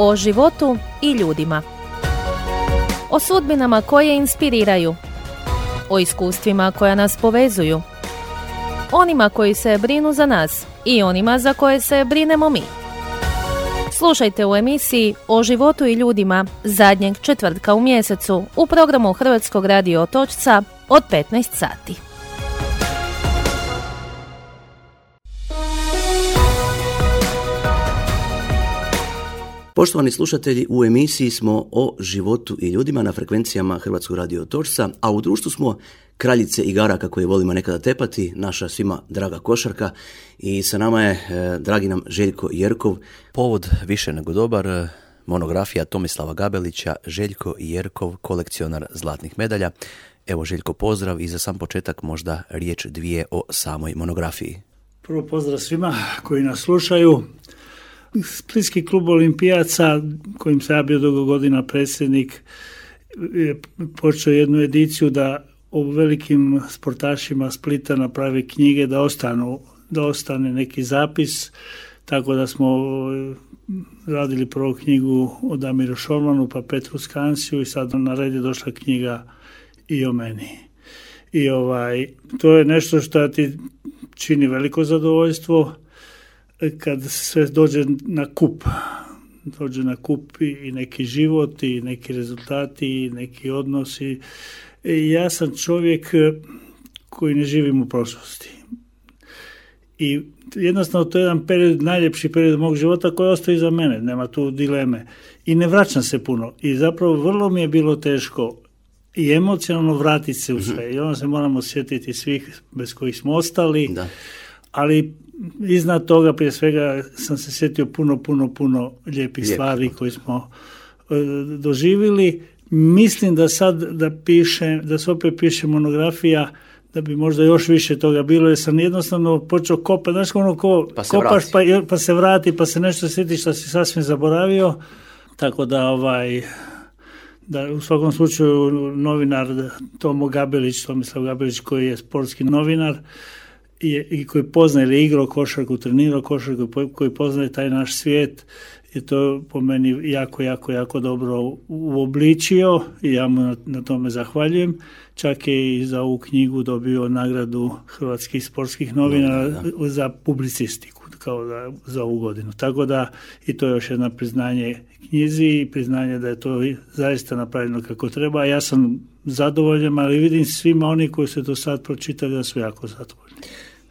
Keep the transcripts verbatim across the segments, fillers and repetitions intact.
o životu i ljudima. O sudbinama koje inspiriraju, o iskustvima koja nas povezuju, onima koji se brinu za nas i onima za koje se brinemo mi. Slušajte u emisiji O životu i ljudima zadnjeg četvrtka u mjesecu u programu Hrvatskog radio Otočca od petnaest sati. Poštovani slušatelji, u emisiji smo o životu i ljudima na frekvencijama Hrvatskog radio Otočca, a u društvu smo kraljice igara kako je volimo nekada tepati, naša svima draga košarka, i sa nama je eh, dragi nam Željko Jerkov. Povod više nego dobar, monografija Tomislava Gabelića, Željko Jerkov, kolekcionar zlatnih medalja. Evo Željko, pozdrav i za sam početak možda riječ dvije o samoj monografiji. Prvo pozdrav svima koji nas slušaju. Splitski klub olimpijaca, kojim sam ja bio dugo godina predsjednik, je počeo jednu ediciju da o velikim sportašima Splita napravi knjige, da ostanu, da ostane neki zapis, tako da smo radili prvu knjigu o Damiru Šormanu, pa Petru Skansiju, i sad na red je došla knjiga i o meni. I ovaj, to je nešto što ti čini veliko zadovoljstvo kad sve dođe na kup, dođe na kup i neki život i neki rezultati i neki odnosi. I ja sam čovjek koji ne živim u prošlosti. I jednostavno to je jedan period, najljepši period mog života koji ostaje iza mene, nema tu dileme. I ne vraćam se puno. I zapravo vrlo mi je bilo teško i emocionalno vratiti se u sve. I onda se moramo sjetiti svih bez kojih smo ostali. Da. Ali iznad toga prije svega sam se sjetio puno, puno, puno lijepih Lijepo. stvari koje smo uh, doživjeli. Mislim da sad da piše, da se opet piše monografija, da bi možda još više toga bilo, jer sam jednostavno počeo kopati, znaš ono ko pa kopaš pa, pa se vrati, pa se nešto sjeti što si sasvim zaboravio, tako da ovaj, da u svakom slučaju novinar Tomo Gabelić, Tomislav Gabelić, koji je sportski novinar i, i koji poznaje ili igrao košarku, trenirao košarku, koji poznaje taj naš svijet, i to po meni jako, jako, jako dobro uobličio i ja mu na, na tome zahvaljujem. Čak je i za ovu knjigu dobio nagradu Hrvatskih sportskih novinara da, da. za publicistiku, kao da, za ovu godinu. Tako da i to je još jedno priznanje knjizi i priznanje da je to zaista napravljeno kako treba. Ja sam zadovoljan, ali vidim svima oni koji su to sad pročitali da su jako zadovoljni.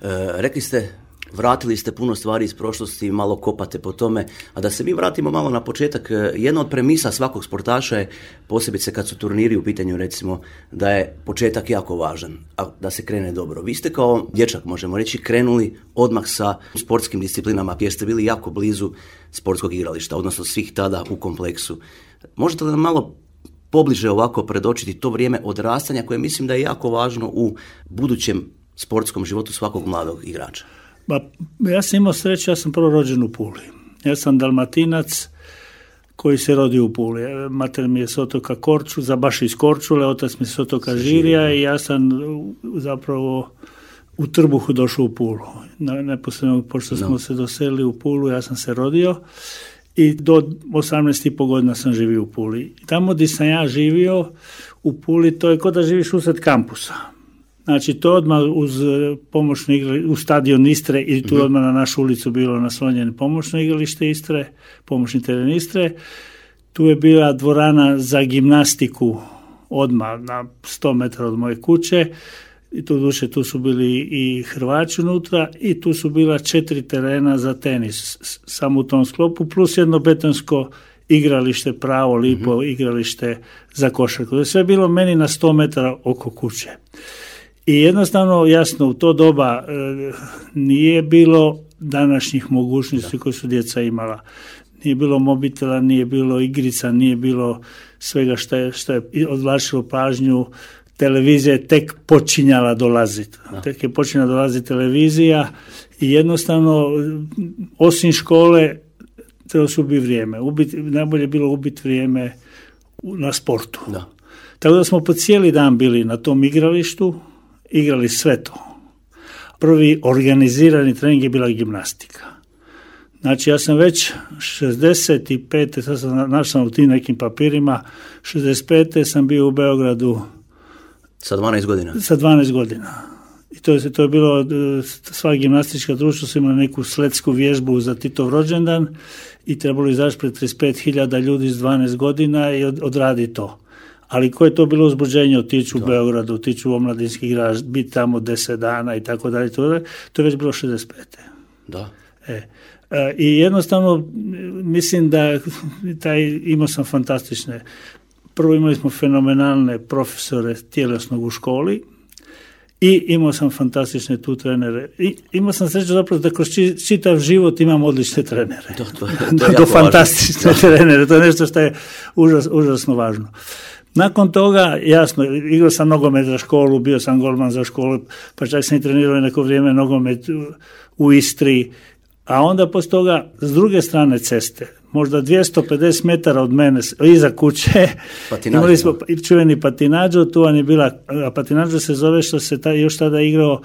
E, rekli ste, vratili ste puno stvari iz prošlosti, malo kopate po tome, a da se mi vratimo malo na početak. Jedna od premisa svakog sportaša je, posebice kad su turniri u pitanju, recimo, da je početak jako važan, a da se krene dobro. Vi ste kao dječak, možemo reći, krenuli odmah sa sportskim disciplinama, jer ste bili jako blizu sportskog igrališta, odnosno svih tada u kompleksu. Možete li nam malo pobliže ovako predočiti to vrijeme odrastanja, koje mislim da je jako važno u budućem sportskom životu svakog mladog igrača? Ba, ja sam imao sreću, ja sam prvo rođen u Puli. Ja sam Dalmatinac koji se rodio u Puli. Mater mi je s otoka Korčula, baš iz Korčule, otac mi je s otoka Žirija i ja sam zapravo u trbuhu došao u Pulu. Neposredno, pošto smo no. se doselili u Pulu, ja sam se rodio i do osamnaest i pol godina sam živio u Puli. Tamo gdje sam ja živio u Puli, to je kao da živiš usred kampusa. Znači, to odmah uz pomoćno igralište, u stadion Istre, i tu mm-hmm. odmah na našu ulicu bilo naslonjeno pomoćno igralište Istre, pomoćni teren Istre. Tu je bila dvorana za gimnastiku odmah na sto metara od moje kuće. I tu duše, tu su bili i Hrvači unutra i tu su bila četiri terena za tenis, samo u tom sklopu, plus jedno betonsko igralište, pravo, lipo mm-hmm. igralište za košarku. To je sve bilo meni na sto metara oko kuće. I jednostavno, jasno, u to doba e, nije bilo današnjih mogućnosti da. koje su djeca imala. Nije bilo mobitela, nije bilo igrica, nije bilo svega što je, što je odvlačilo pažnju. Televizija je tek počinjala dolaziti. Da. Tek je počinjala dolaziti televizija i jednostavno, osim škole, trebalo se ubiti vrijeme. Ubiti, najbolje je bilo ubiti vrijeme na sportu. Da. Tako da smo po cijeli dan bili na tom igralištu, igrali sve to. Prvi organizirani trening je bila gimnastika. Znači ja sam već šezdeset pete sad sam našao u tim nekim papirima, šezdeset pete sam bio u Beogradu. Sa dvanaest godina? Sa dvanaest godina. I to je, to je bilo, sva gimnastička društva su imala neku sletsku vježbu za Titov rođendan i trebalo izaći pred trideset pet hiljada ljudi s dvanaest godina i od, odradi to. Ali koje je to bilo uzbuđenje, otići u Beogradu, otići u omladinski igrač, biti tamo deset dana i tako dalje, to je već bilo šezdeset pete. Da. E, I jednostavno mislim da taj, imao sam fantastične, prvo imali smo fenomenalne profesore tjelesnog u školi i imao sam fantastične tu trenere. I imao sam sreću zapravo da kroz čitav život imam odlične trenere. To, to, to do, do fantastične trenere, to je nešto što je užas, užasno važno. Nakon toga, jasno, igrao sam nogomet za školu, bio sam golman za školu, pa čak sam i trenirao neko vrijeme nogomet u, u Istri, a onda poslije toga, s druge strane ceste, možda dvjesto pedeset metara od mene, iza kuće, imali smo čuveni patinađo, tu vam je bila, a patinađo se zove što se ta, još tada igrao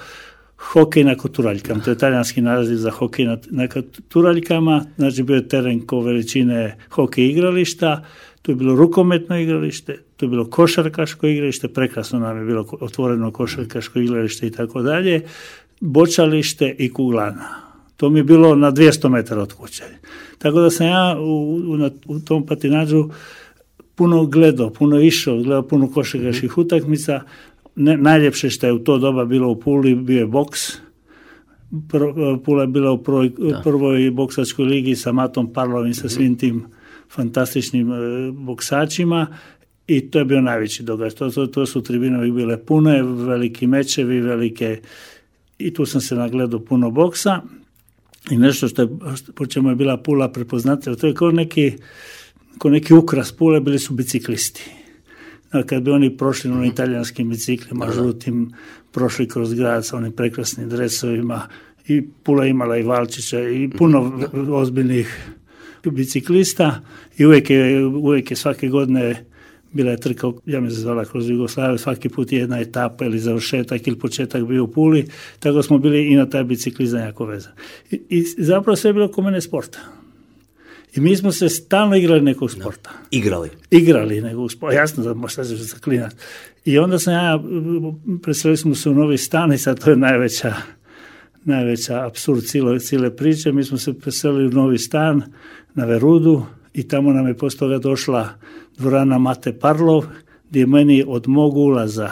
hokej na koturaljkama, to je talijanski naziv za hokej na, na koturaljkama, znači bio je teren ko veličine hokej igrališta, tu je bilo rukometno igralište, tu je bilo košarkaško igralište, prekrasno nam je bilo otvoreno košarkaško igralište i tako dalje, bočalište i kuglana. To mi je bilo na dvjesto metara od kuće. Tako da sam ja u, u, u tom patinađu puno gledao, puno išao, gledao puno košarkaških utakmica. Ne, najljepše što je u to doba bilo u Puli bio je boks. Pro, Pula je bila u prvoj, prvoj boksačkoj ligi sa Matom Parlovim, sa svim tim fantastičnim e, boksačima i to je bio najveći događaj. To, to, to su tribine bile pune, veliki mečevi, velike, i tu sam se nagledao puno boksa. I nešto što je, po čemu je bila Pula prepoznatljiva, to je kao neki, kao neki ukras Pule, bili su biciklisti. Kad bi oni prošli na italijanskim biciklima, žutim, prošli kroz grad sa onim prekrasnim dresovima, i Pula imala i Valčića i puno ozbiljnih biciklista i uvijek je, uvijek je svake godine bila je trka, ja mi se zvala kroz Jugoslaviju, svaki put je jedna etapa ili završetak ili početak bio u Puli, tako smo bili i na taj biciklizam jako vezan. I, i zapravo sve je bilo kod mene sporta. I mi smo se stalno igrali nekog sporta. No, igrali? Igrali nekog sporta, jasno da možda se zaklinati. I onda sam ja, preselili smo se u novi stan i sad to je najveća, najveća apsurd cijele, cijele priče. Mi smo se preselili u novi stan na Verudu i tamo nam je poslije toga došla dvorana Mate Parlov, gdje je meni od mog ulaza,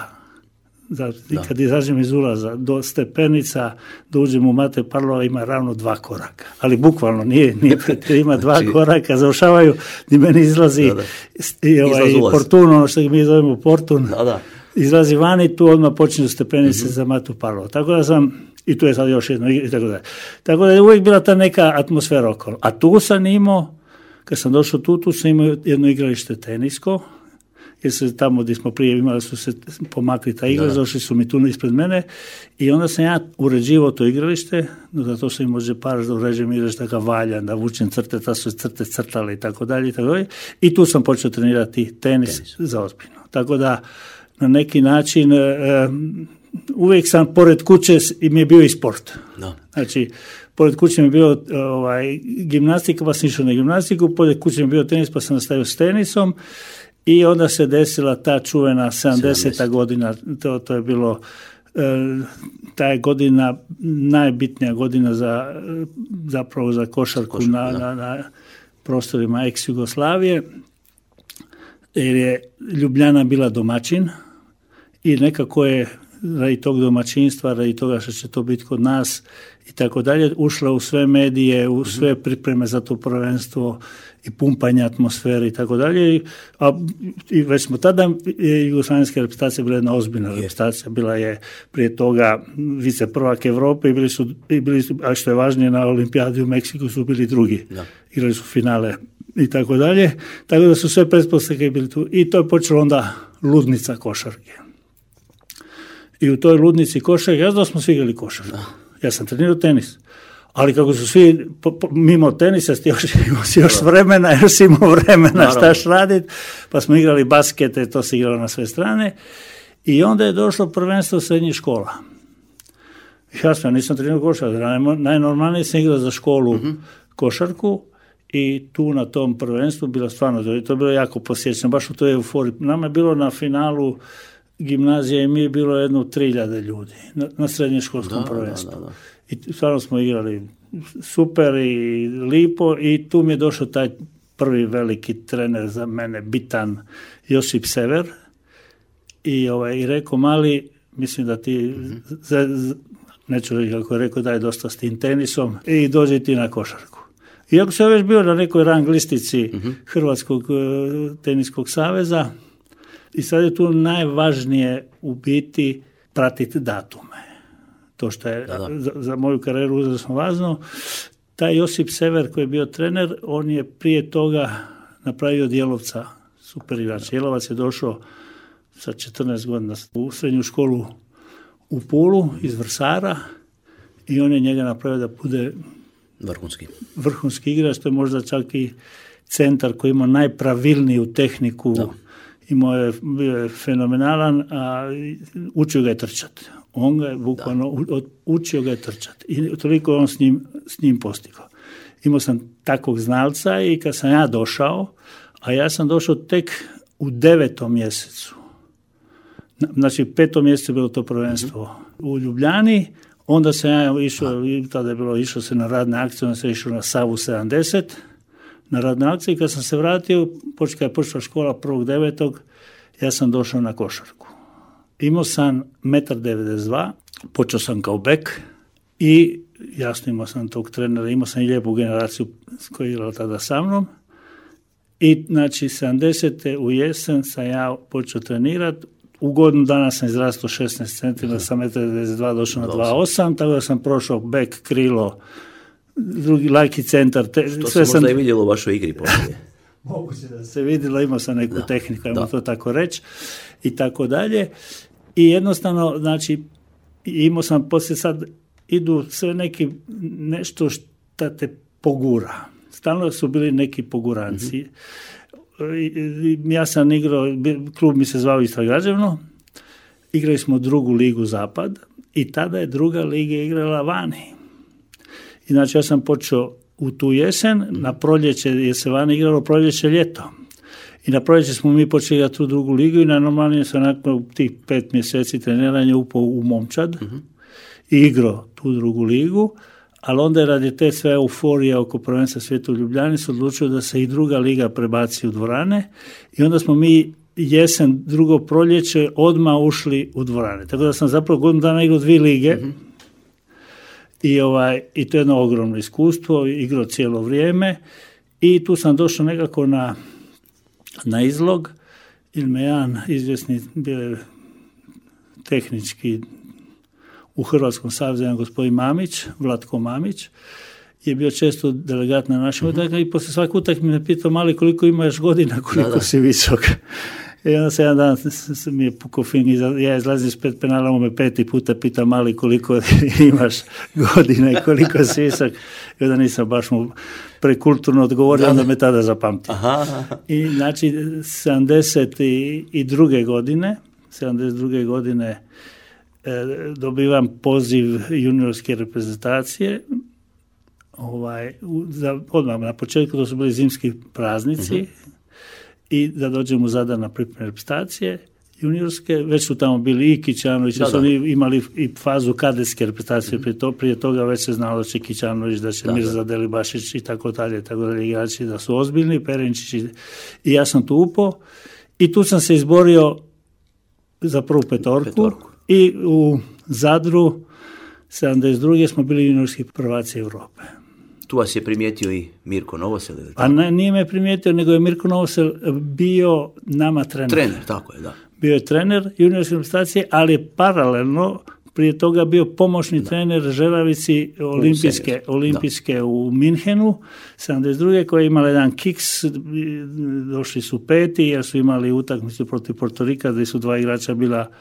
da, kad izađem iz ulaza do stepenica, da uđem u Mate Parlova, ima ravno dva koraka. Ali bukvalno, nije, nije ima dva znači, koraka, završavaju, gdje meni izlazi da, da. I ovaj, portun, ono što mi zovemo portun, da, da. Izlazi vani, tu odmah počinju stepenice mm-hmm. za Matu Parlova. Tako da sam, i tu je sad još jedno, i tako da. Tako da je uvijek bila ta neka atmosfera okolo. A tu sam imao, kad sam došao tu, tu sam imao jedno igralište tenisko, jer se tamo gdje smo prije imali su se pomakli ta igra, došli su mi tu ispred mene i onda sam ja uređivao to igralište, da to se im može par da uređujem igralište tako valjan, da vučem crte, ta su crte crtale i tako dalje i tako dalje. I tu sam počeo trenirati tenis, tenis. za ozbiljno. Tako da na neki način e, uvijek sam pored kuće i mi je bio i sport. No. Znači, pored kuće mi je bio ovaj, gimnastika, pa sam išao na gimnastiku, pored kuće mi je bio tenis, pa sam nastavio s tenisom i onda se desila ta čuvena sedamdeseta godina, to, to je bilo, e, ta je godina, najbitnija godina za, zapravo za košarku Košar, na, na, na prostorima ex-Jugoslavije, jer je Ljubljana bila domaćin i nekako je radi tog domaćinstva, radi toga što će to biti kod nas i tako dalje, ušla u sve medije, u sve pripreme za to prvenstvo i pumpanje atmosfere i tako dalje. A i već smo tada, jugoslavenska reprezentacija bila jedna ozbiljna reprezentacija, bila je prije toga vice prvak Europe i bili su, i bili su, a što je važnije, na olimpijadi u Meksiku su bili drugi. Da. Igrali su finale i tako dalje. Tako da su sve pretpostavke bili tu. I to je počelo onda ludnica košarke. I u toj ludnici košarke, ja znam smo svi igrali košarku. Ja sam trenirao tenis. Ali kako su svi, po, po, mimo tenisa, još, još, još vremena, još imao vremena štaš raditi, pa smo igrali baskete, to se igralo na sve strane. I onda je došlo prvenstvo srednjih škola. Ja sam, nisam trenirao košarku, najnormalnije sam igrao za školu, mm-hmm. košarku i tu na tom prvenstvu bilo stvarno, to je bilo jako posjećeno, baš u toj euforiji. Nama je bilo na finalu gimnazije i mi je bilo jedno tri hiljade ljudi na, na srednjoškolskom prvenstvu. Da, da, da. I stvarno smo igrali super i lipo i tu mi je došao taj prvi veliki trener za mene, bitan, Josip Sever, i, ovaj, i rekao, mali, mislim da ti, mm-hmm. za, za, neću reći kako je rekao, daj dosta s tim tenisom i dođi ti na košarku. Iako sam već bio na nekoj rang listici mm-hmm. Hrvatskog uh, teniskog saveza, i sad je tu najvažnije u biti pratiti datume. To što je da, da. Za, za moju karijeru uzasno važno. Taj Josip Sever koji je bio trener, on je prije toga napravio Djelovca, super igrač. Jelovac je došao sa četrnaest godina u srednju školu u Pulu iz Vrsara i on je njega napravio da bude vrhunski, vrhunski igrač. To je možda čak i centar koji ima najpravilniju tehniku. Da. Imao je, bio je fenomenalan, a učio ga je trčati. On ga je bukvalno učio ga je trčati. I toliko on s njim, s njim postigao. Imao sam takvog znalca i kad sam ja došao, a ja sam došao tek u devetom mjesecu. Znači, petom mjesecu je bilo to prvenstvo mm-hmm. u Ljubljani, onda sam ja išao, i tada je bilo, išao se na radne akcije, onda sam išao na Savu sedamdeset, na radne akcije, i kad sam se vratio, počela je počela škola prvog devetog, ja sam došao na košarku. Imao sam jedan devedeset dva, počeo sam kao bek i jasno imao sam tog trenera, imao sam i lijepu generaciju koja je igrala tada sa mnom. I znači sedamdesete u jesen sam ja počeo trenirati. U godinu dana sam izrastao šesnaest centimetara, sam jedan devedeset dva došao na dva osam, tako da sam prošao bek, krilo, drugi lajki centar. Te, što sve se možda sam... i vidjelo u vašoj igri poslije. Moguće da se vidjelo, imao sam neku da. tehniku, ajmo to tako reći, i tako dalje. I jednostavno, znači, imao sam poslije sad, idu sve neki, nešto što te pogura. Stalno su bili neki poguranci. Mm-hmm. Ja sam igrao, klub mi se zvao Istra Građevno, igrali smo drugu ligu Zapad i tada je druga liga igrala vani. I znači ja sam počeo u tu jesen, na proljeće je se vani igralo proljeće ljeto. I na proljeće smo mi počeli igrati tu drugu ligu i na normalnije sam nakon tih pet mjeseci treniranja upao u momčad mm-hmm. i igrao tu drugu ligu, ali onda je radi te sve euforije oko prvenstva svijeta u Ljubljani se odlučio da se i druga liga prebaci u dvorane i onda smo mi jesen, drugo proljeće odmah ušli u dvorane. Tako da sam zapravo godinu dana igrao dvije lige mm-hmm. i, ovaj, i to je jedno ogromno iskustvo, igrao cijelo vrijeme i tu sam došao nekako na na izlog, ili me jedan izvjesni bio tehnički u Hrvatskom savezu, jedan gospodin Mamić, Vlatko Mamić, je bio često delegat na našem mm-hmm. utakmici i poslije svaki utakmice me pitao, mali, koliko imaš godina, koliko da, da. si visok. I onda se jedan dan mi je pukao fin, ja izlazim s pet penala, on me peti puta pita, mali, koliko imaš godina i koliko si visok. I onda nisam baš mu prekulturno odgovorio, onda me tada zapamtio. Aha. I znači, sedamdeset druge godine, sedamdeset druge godine e, dobivam poziv juniorske reprezentacije, ovaj, za, odmah na početku, to su bili zimski praznici, uh-huh. i da dođem u Zadar na pripremne reprezentacije juniorske, već su tamo bili i Kićanović, da, su oni imali i fazu kadetske reprezentacije, mm-hmm. prije, to, prije toga već se znalo da će Kićanović, da će da, Mirza Delibašić i tako dalje, tako dalje, igrači da su ozbiljni, Perenčić i, i ja sam tu upao i tu sam se izborio za prvu petorku, petorku. I u Zadru sedamdeset druge smo bili juniorski prvaci Europe. Tu vas je primijetio i Mirko Novosel? A ne, nije me primijetio, nego je Mirko Novosel bio nama trener. Trener, tako je, da. Bio je trener juniorske reprezentacije, ali je paralelno prije toga bio pomoćni da. trener Žeravici olimpijske, olimpijske u Minhenu, sedamdeset druge koja je imala jedan kiks, došli su peti jer su imali utakmicu protiv Portorika gdje su dva igrača bila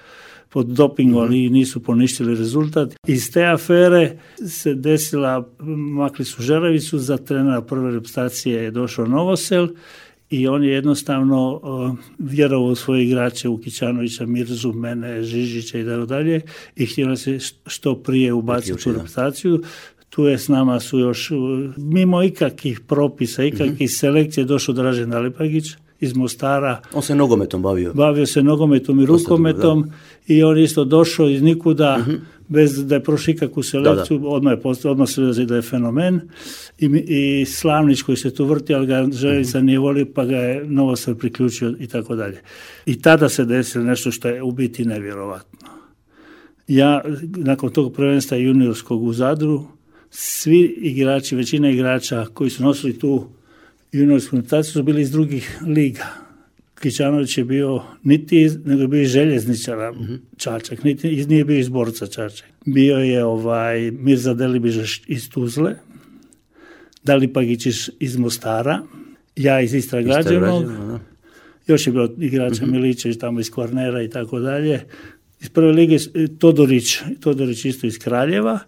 pod dopingom, ali mm-hmm. nisu poništili rezultat. Iz te afere se desila, makli su Žeravicu, za trenera prve reprezentacije je došao Novosel i on je jednostavno uh, vjerovao u svoje igrače, u Kićanovića, Mirzu, mene, Žižića i tako dalje i htio se što prije ubaciti u reprezentaciju. Tu je s nama su još, mimo ikakvih propisa, ikakvih mm-hmm. selekcije, došao Dražen Dalipagić iz Mostara. On se nogometom bavio. Bavio se nogometom i rukometom dugo, i on isto došao iz nikuda, mm-hmm. bez da je prošao ikakvu selekciju, da, da. odmah je postao, odmah se da je fenomen. I, i Slavnić koji se tu vrti, ali ga Željevica mm-hmm. nije volio, pa ga je Novosel priključio i tako dalje. I tada se desilo nešto što je u biti nevjerovatno. Ja, nakon tog prvenstva juniorskog u Zadru, svi igrači, većina igrača koji su nosili tu juniorsku reprezentaciju su bili iz drugih liga. Kićanović je bio niti iz, nego je bio iz željezničara mm-hmm. Čačak, niti nije bio iz Borca Čačak. Bio je ovaj Mirza Delibiž iz Tuzle, Dalipagić iz Mostara, ja iz Istra Građevnog, još je bilo igrača mm-hmm. Milićević tamo iz Kvarnera i tako dalje. Iz prve lige Todorić, Todorić isto iz Kraljeva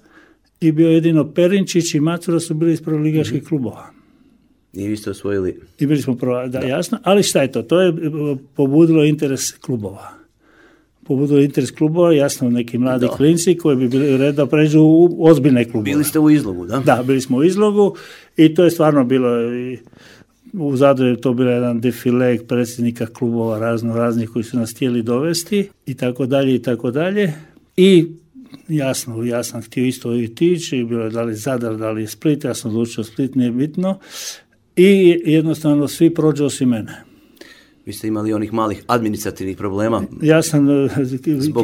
i bio jedino Perinčić i Macura su bili iz prvoligaških mm-hmm. klubova. I vi ste osvojili. I bili smo prva, da, da, jasno. Ali šta je to? To je pobudilo interes klubova. Pobudilo interes klubova, jasno, neki mladi da. klinci koji bi bili red da pređu u ozbiljne klubove. Bili ste u Izlogu, da? Da, bili smo u Izlogu i to je stvarno bilo, i u Zadru je to bilo jedan defile predsjednika klubova razno raznih koji su nas htjeli dovesti i tako dalje i tako dalje. I jasno, ja sam htio isto i tići, i bilo je da li Zadar, da li Split, ja sam odlučio Split, nije bitno. I jednostavno svi prođu osim mene. Vi ste imali onih malih administrativnih problema? Ja sam,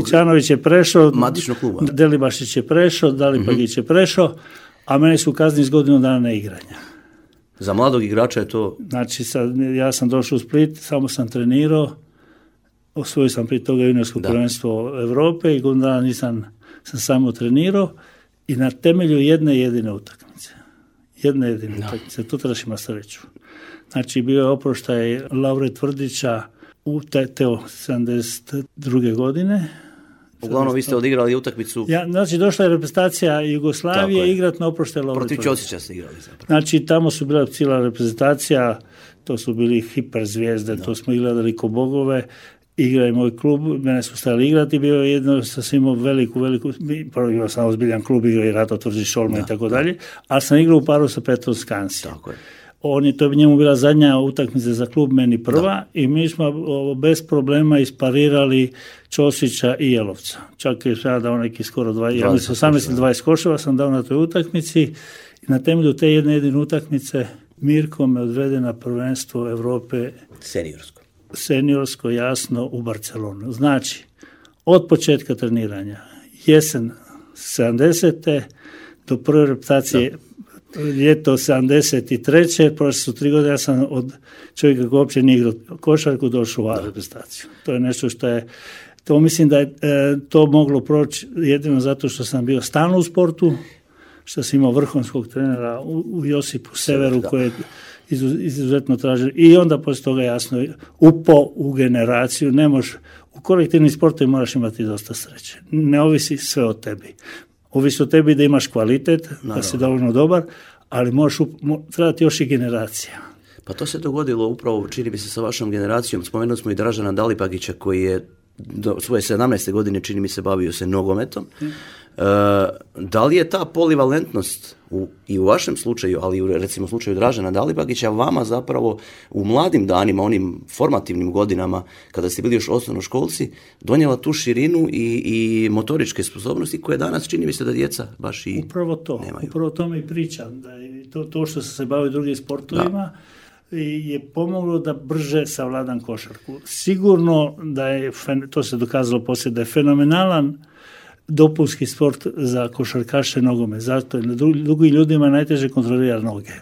Kićanović je prešao, matičnog kluba. Delibašić je prešao, Dalipagić mm-hmm. je prešao, a mene su kazni s godinu dana neigranja. Za mladog igrača je to... Znači, sad, ja sam došao u Split, samo sam trenirao, osvojio sam prije toga juniorsko prvenstvo Europe i godinu dana nisam, sam samo trenirao i na temelju jedne jedine utakmice. Jedne jedine no. utakmice, tu trebaš ima sreću. Znači, bio je oproštaj Laure Tvrdića u te, teo sedamdeset druge godine. Uglavnom, vi ste odigrali utakmicu... Ja, znači, došla je reprezentacija Jugoslavije igrat na oproštaj Laure Tvrdića. Protiv Ćosića ste igrali zapravo. Znači, tamo su bila cijela reprezentacija, to su bili hiperzvijezde, no. to smo gledali ko bogove, igra je moj klub, mene su stali igrati, bio je jedno sasvim veliku, veliku, prvo imao sam ozbiljan klub, igrao i Rato Tvrđić Šolma i tako dalje, ali sam igrao u paru sa Petrom Skansi. Tako je. On je, to je njemu bila zadnja utakmica za klub, meni prva, da. I mi smo o, bez problema isparirali Ćosića i Jelovca. Čak je sada dao neki skoro dvadeset, ja mislim osamnaest dvadeset koševa sam dao na toj utakmici i na temelju te jedne jedine utakmice Mirko me odvede na prvenstvo Europe seniorsko. Seniorsko, jasno, u Barcelonu. Znači, od početka treniranja, jesen sedamdesete do prve reputacije ljeto sedamdeset treće prošle su tri godine, ja sam od čovjeka koji uopće nije igrao košarku došao u reprezentaciju. To je nešto što je, to mislim da je e, to moglo proći jedino zato što sam bio stalno u sportu, što sam imao vrhunskog trenera u, u Josipu Severu koji je izuzetno tražio i onda poslije toga jasno upo u generaciju, ne možeš, u kolektivnim sportovima moraš imati dosta sreće. Ne ovisi sve o tebi. Ovisi o tebi da imaš kvalitet, naravno, da si dovoljno dobar, ali možeš mo, trebati još i generacija. Pa to se dogodilo upravo, čini mi se, sa vašom generacijom. Spomenuli smo i Dražena Dalipagića koji je do svoje sedamnaeste godine, čini mi se, bavio se nogometom. Hmm. E, da li je ta polivalentnost u, i u vašem slučaju, ali i u recimo slučaju Dražena Dalipagića vama zapravo u mladim danima, onim formativnim godinama kada ste bili još osnovnoškolci, donijela tu širinu i, i motoričke sposobnosti koje danas čini mi se da djeca baš i upravo to, nemaju. Upravo to mi pričam, da je to, to što sam se bavio drugim sportovima da. je pomoglo da brže savladam košarku. Sigurno da je, to se dokazalo poslije, da je fenomenalan dopunski sport za košarkaše nogomet. Zato je na drugim ljudima najteže kontrolirati noge.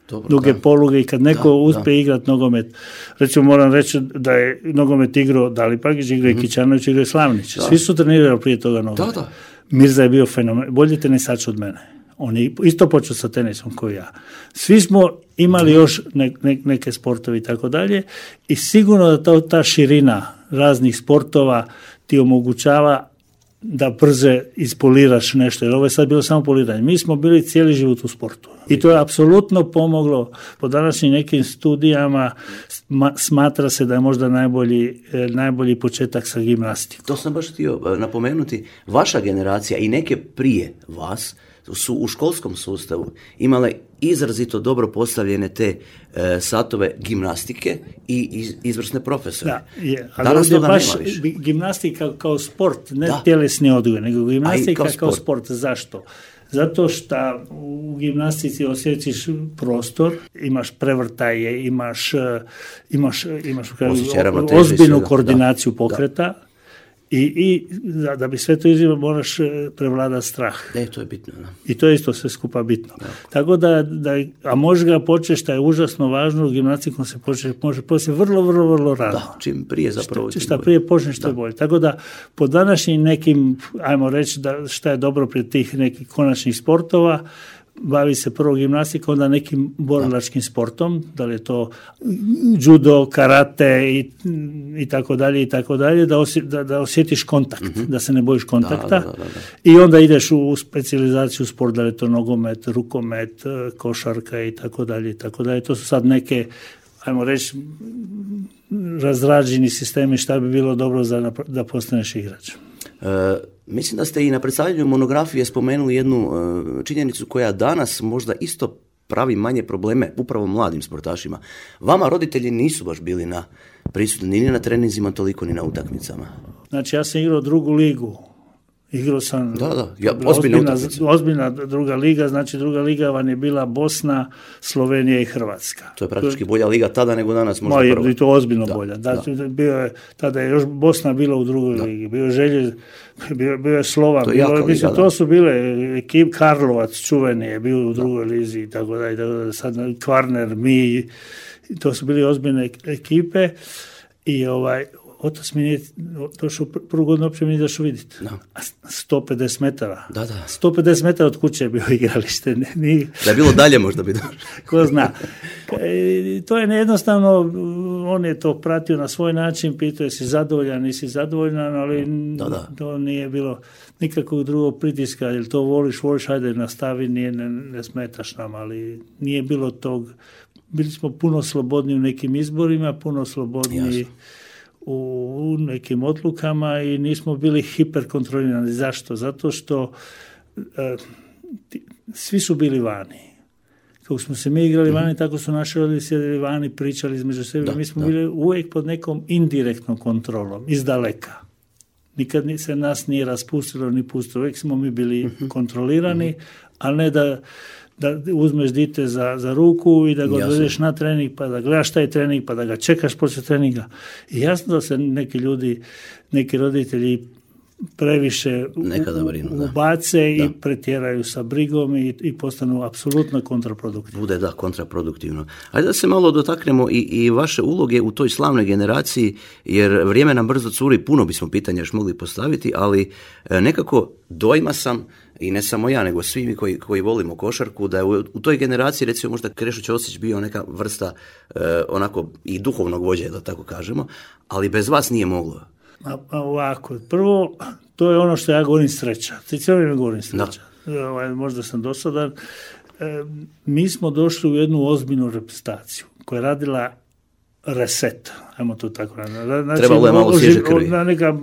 Dobro, duge da. Poluge i kad neko da, uspije da. igrati nogomet, recimo moram reći da je nogomet igrao Dalipagić, igrao je mm-hmm. Kićanović, igrao je Slavnić. Da. Svi su trenirali prije toga nogomet. Da, da. Mirza je bio fenomen, bolji tenisač od mene. On je isto počeo sa tenisom kao ja. Svi smo imali još ne, ne, neke sportove i tako dalje i sigurno da ta, ta širina raznih sportova ti omogućava da brže ispoliraš nešto, jer ovo je sad bilo samo poliranje. Mi smo bili cijeli život u sportu. I to je apsolutno pomoglo. Po današnjim nekim studijama smatra se da je možda najbolji, najbolji početak sa gimnastikom. To sam baš htio napomenuti. Vaša generacija i neke prije vas su u školskom sustavu imale izrazito dobro postavljene te e, satove gimnastike i iz, izvrsne profesore. Da, je, ali danas toga baš nema više. Gimnastika kao sport, ne da. tjelesni odgoj, nego gimnastika kao, kao sport. sport. Zašto? Zato što u gimnastici osjećaš prostor, imaš prevrtaje, imaš, imaš, imaš ozbiljnu koordinaciju da. pokreta. Da. I, i da, da bi sve to izvijelo moraš prevladati strah. E, to je bitno. Da. I to je isto sve skupa bitno. Da. Tako da, da, a možeš ga početi, što je užasno važno, u gimnastikom se početi, može početi vrlo, vrlo, vrlo rano. Da, čim prije zapravo. Šta, šta prije počneš, što je bolje. Tako da, po današnjim nekim, ajmo reći, da šta je dobro prije tih nekih konačnih sportova, bavi se prvo gimnastikom, onda nekim borilačkim sportom, da li je to judo, karate i, i tako dalje i tako dalje, da, osje, da, da osjetiš kontakt, mm-hmm. da se ne bojiš kontakta da, da, da, da. I onda ideš u specijalizaciju sport, da li je to nogomet, rukomet, košarka i tako dalje i tako dalje. To su sad neke, ajmo reći, razrađeni sistemi šta bi bilo dobro za, da postaneš igrač. Uh, mislim da ste i na predstavljanju monografije spomenuli jednu uh, činjenicu koja danas možda isto pravi manje probleme upravo mladim sportašima. Vama roditelji nisu baš bili na prisutni ni na treninzima, toliko ni na utakmicama. Znači ja sam igrao drugu ligu. Igrao sam da, da. Ja, ozbiljna, ozbiljna druga liga, znači druga liga vam je bila Bosna, Slovenija i Hrvatska. To je praktički bolja liga tada nego danas možda prvo. prvo. I to ozbiljno da, bolja. Da, da. Bio je, tada je još Bosna bila u drugoj da. ligi, bio je Želje, bio, bio je Slovan, to, bilo, mislim, liga, to su bile ekip Karlovac čuveni je bio u drugoj da. lizi i tako da, i tako da sad Kvarner, mi, to su bili ozbiljne ekipe i ovaj otac mi nije došao prvu godinu, uopće mi nije došao vidjeti. No. sto pedeset metara. Da, da. sto pedeset metara od kuće je bio igralište. Nije... Da je bilo dalje možda bi došao. Ko zna. E, to je nejednostavno, on je to pratio na svoj način, pitao je si zadovoljan, nisi zadovoljan, ali da, da. to nije bilo nikakvog drugog pritiska, jer to voliš, voliš, hajde nastavi, nije, ne, ne smetaš nam, ali nije bilo tog, bili smo puno slobodni u nekim izborima, puno slobodni Jasno. u nekim odlukama i nismo bili hiperkontrolirani. Zašto? Zato što e, ti, svi su bili vani. Kako smo se mi igrali vani, tako su naši roditelji sjedili vani, pričali između sebe. Da, mi smo da. bili uvijek pod nekom indirektnom kontrolom, iz daleka. Nikad se nas nije raspustilo ni pustilo. Uvijek smo mi bili uh-huh. kontrolirani, uh-huh. ali ne da da uzmeš dite za, za ruku i da ga odvedeš na trening, pa da gledaš taj trening, pa da ga čekaš poslije treninga. I jasno da se neki ljudi, neki roditelji previše brinu, ubace da. i da. pretjeraju sa brigom i, i postanu apsolutno kontraproduktivno. Bude da, kontraproduktivno. Ajde da se malo dotaknemo i, i vaše uloge u toj slavnoj generaciji, jer vrijeme nam brzo curi, puno bismo pitanja još mogli postaviti, ali nekako dojma sam, i ne samo ja, nego svi mi koji, koji volimo košarku, da je u, u toj generaciji, recimo možda Krešo Ćosić bio neka vrsta eh, onako i duhovnog vođe, da tako kažemo, ali bez vas nije moglo. A, a ovako, prvo, to je ono što ja govorim sreća. Ti cijelo vrijeme govorim sreća. Ovaj, možda sam dosadan. E, mi smo došli u jednu ozbiljnu reprezentaciju koja je radila reset, ajmo to tako raditi. Znači, trebalo je malo svježe krvi. Na neka,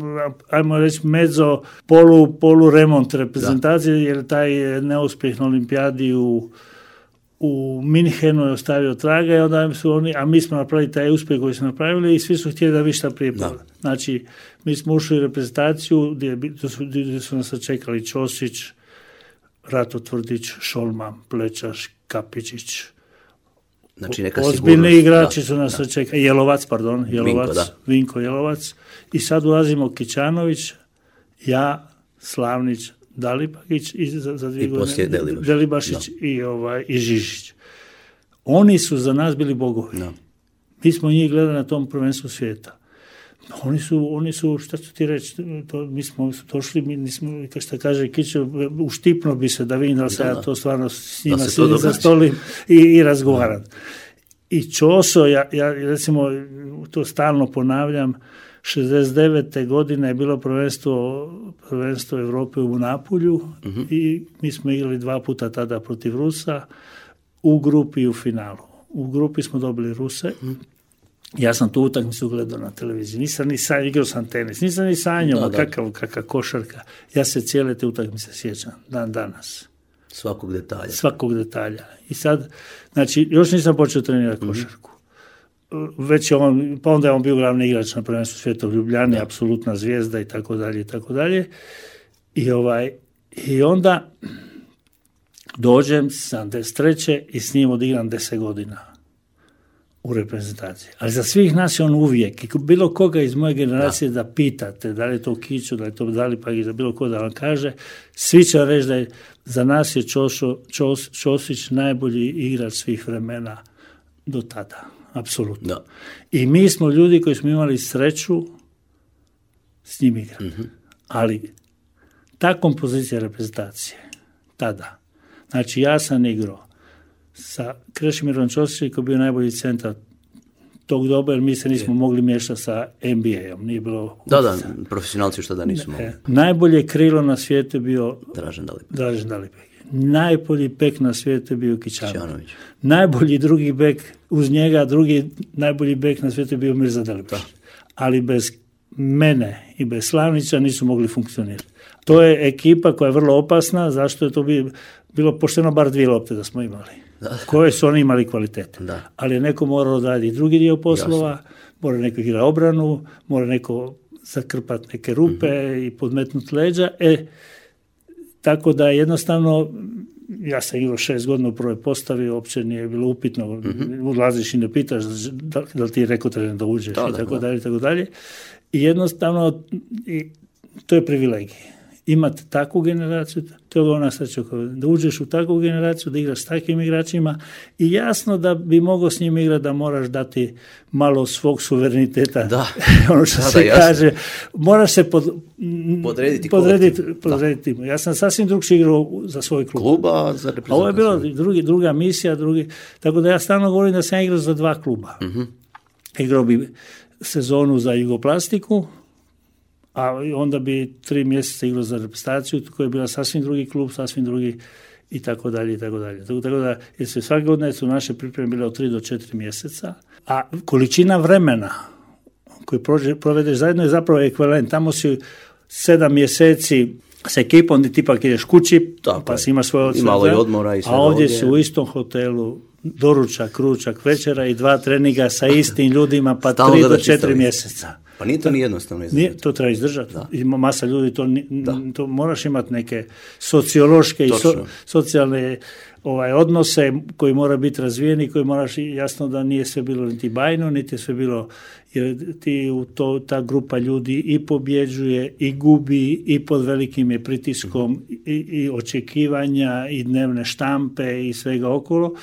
ajmo reći, medzo, polu, polu remont reprezentacije, da. jer taj neuspjeh na olimpijadi u u Minhenu je ostavio traga i onda su oni, a mi smo napravili taj uspjeh koji smo napravili i svi su htjeli da vi šta prije pada. Znači, mi smo ušli u reprezentaciju gdje, gdje, su, gdje su nas čekali Ćosić, Rato Tvrdić, Šolman, Plečaš, Kapičić. Znači neka ozbiljni igrači su nas čekali. Jelovac, pardon, Jelovac, Vinko, Vinko Jelovac. I sad ulazimo Kićanović, ja, Slavnić, Dalibagić i za, za dvije I godine Delibašić, Delibašić no. i, ovaj, i Žižić. Oni su za nas bili bogovi. No. Mi smo njih gledali na tom prvenstvu svijeta. Oni su, oni su šta ću ti reći, to, mi smo došli, mi nismo, kao što kaže Kićo, uštipno bi se da vidim da se ja to stvarno s njima sjedim za stolim i, i razgovaram. No. I Ćoso, ja, ja recimo to stalno ponavljam, šezdeset devete godine je bilo prvenstvo, prvenstvo Europe u Napulju uh-huh. i mi smo igrali dva puta tada protiv Rusa u grupi i u finalu. U grupi smo dobili Ruse. Uh-huh. Ja sam tu utakmicu gledao na televiziji. Nisam ni sanjao, igrao sam tenis. Nisam ni sanjao, kakav, kakav košarka. Ja se cijele te utakmice sjećam, dan danas. Svakog detalja. Svakog detalja. I sad, znači, još nisam počeo trenirati mm-hmm. košarku. Već je on, pa onda je on bio glavni igrač na prvenstvu svijeta u Ljubljani, da. Apsolutna zvijezda i tako dalje i tako dalje. I ovaj, i onda dođem sedamdeset treće i s njim odigram deset godina u reprezentaciji. Ali za svih nas je on uvijek, i bilo koga iz moje generacije da, da pitate, da li je to Kiću, da li je to Dalipak, za bilo ko da vam kaže, svi će reći da je za nas je Ćošo, Ćos, Ćosić najbolji igrač svih vremena do tada. Apsolutno. Da. I mi smo ljudi koji smo imali sreću s njim igrati. Mm-hmm. Ali ta kompozicija reprezentacije tada, znači ja sam igrao sa Krešimirom Ćosićem koji je bio najbolji centar tog doba, jer mi se nismo je. mogli miješati sa N B A-om. Nije bilo... Da, da, profesionalci što da nisu mogli. Najbolje krilo na svijetu je bio Dražen Dalipek. Dražen Dalipek. Najbolji bek na svijetu je bio Kićanović. Najbolji drugi bek, uz njega drugi najbolji bek na svijetu je bio Mirza Delipić. Ali bez mene i bez Slavnića nisu mogli funkcionirati. To je ekipa koja je vrlo opasna, zašto je to bilo pošteno bar dvije lopte da smo imali. Da. Koje su oni imali kvalitete. Da. Ali je neko morao odraditi drugi dio poslova, Jasno. mora neko igrati obranu, mora neko zakrpati neke rupe mm-hmm. i podmetnuti leđa. E, tako da jednostavno, ja sam igrao šest godina u prvoj postavi, uopće nije bilo upitno, mm-hmm. ulaziš i ne pitaš da, da li ti je rekao trener da uđeš da, i tako da. dalje, tako dalje. I jednostavno, i to je privilegij. Imati takvu generaciju, to je ona sreća, da uđeš u takvu generaciju, da igraš s takvim igračima i jasno da bi mogao s njim igrati da moraš dati malo svog suvereniteta. Da. ono što da, se da, kaže, moraš se pod, podrediti. podrediti, podrediti. Ja sam sasvim drugčije igrao za svoj klub. Kluba, za reprezentaciju. Ovo je bilo drugi, druga misija, drugi, tako da ja stalno govorim da sam igrao za dva kluba. Mm-hmm. Igrao bi sezonu za Jugoplastiku, a onda bi tri mjeseca igrao za reprezentaciju, koja je bila sasvim drugi klub, sasvim drugi i tako dalje i tako dalje. Tako, tako da, jer se svake godine su naše pripreme bile od tri do četiri mjeseca, a količina vremena koju prođe, provedeš zajedno je zapravo ekvivalent. Tamo si sedam mjeseci s ekipom, ti ipak ideš kući, tako pa si imaš svoje odsvete, a ovdje si u istom hotelu, doručak, ručak, večera i dva treninga sa istim ljudima, pa Stalno tri do četiri mjeseca. Pa nije to ni jednostavno izdržati. Nije, to treba izdržati. Da. Ima masa ljudi, to, to moraš imati neke sociološke Točno. i so, socijalne ovaj, odnose koji mora biti razvijeni, koji moraš, jasno da nije sve bilo niti bajno, niti sve bilo, jer ti u to, ta grupa ljudi i pobjeđuje, i gubi, i pod velikim je pritiskom, mm-hmm. i, i očekivanja, i dnevne štampe, i svega okolo,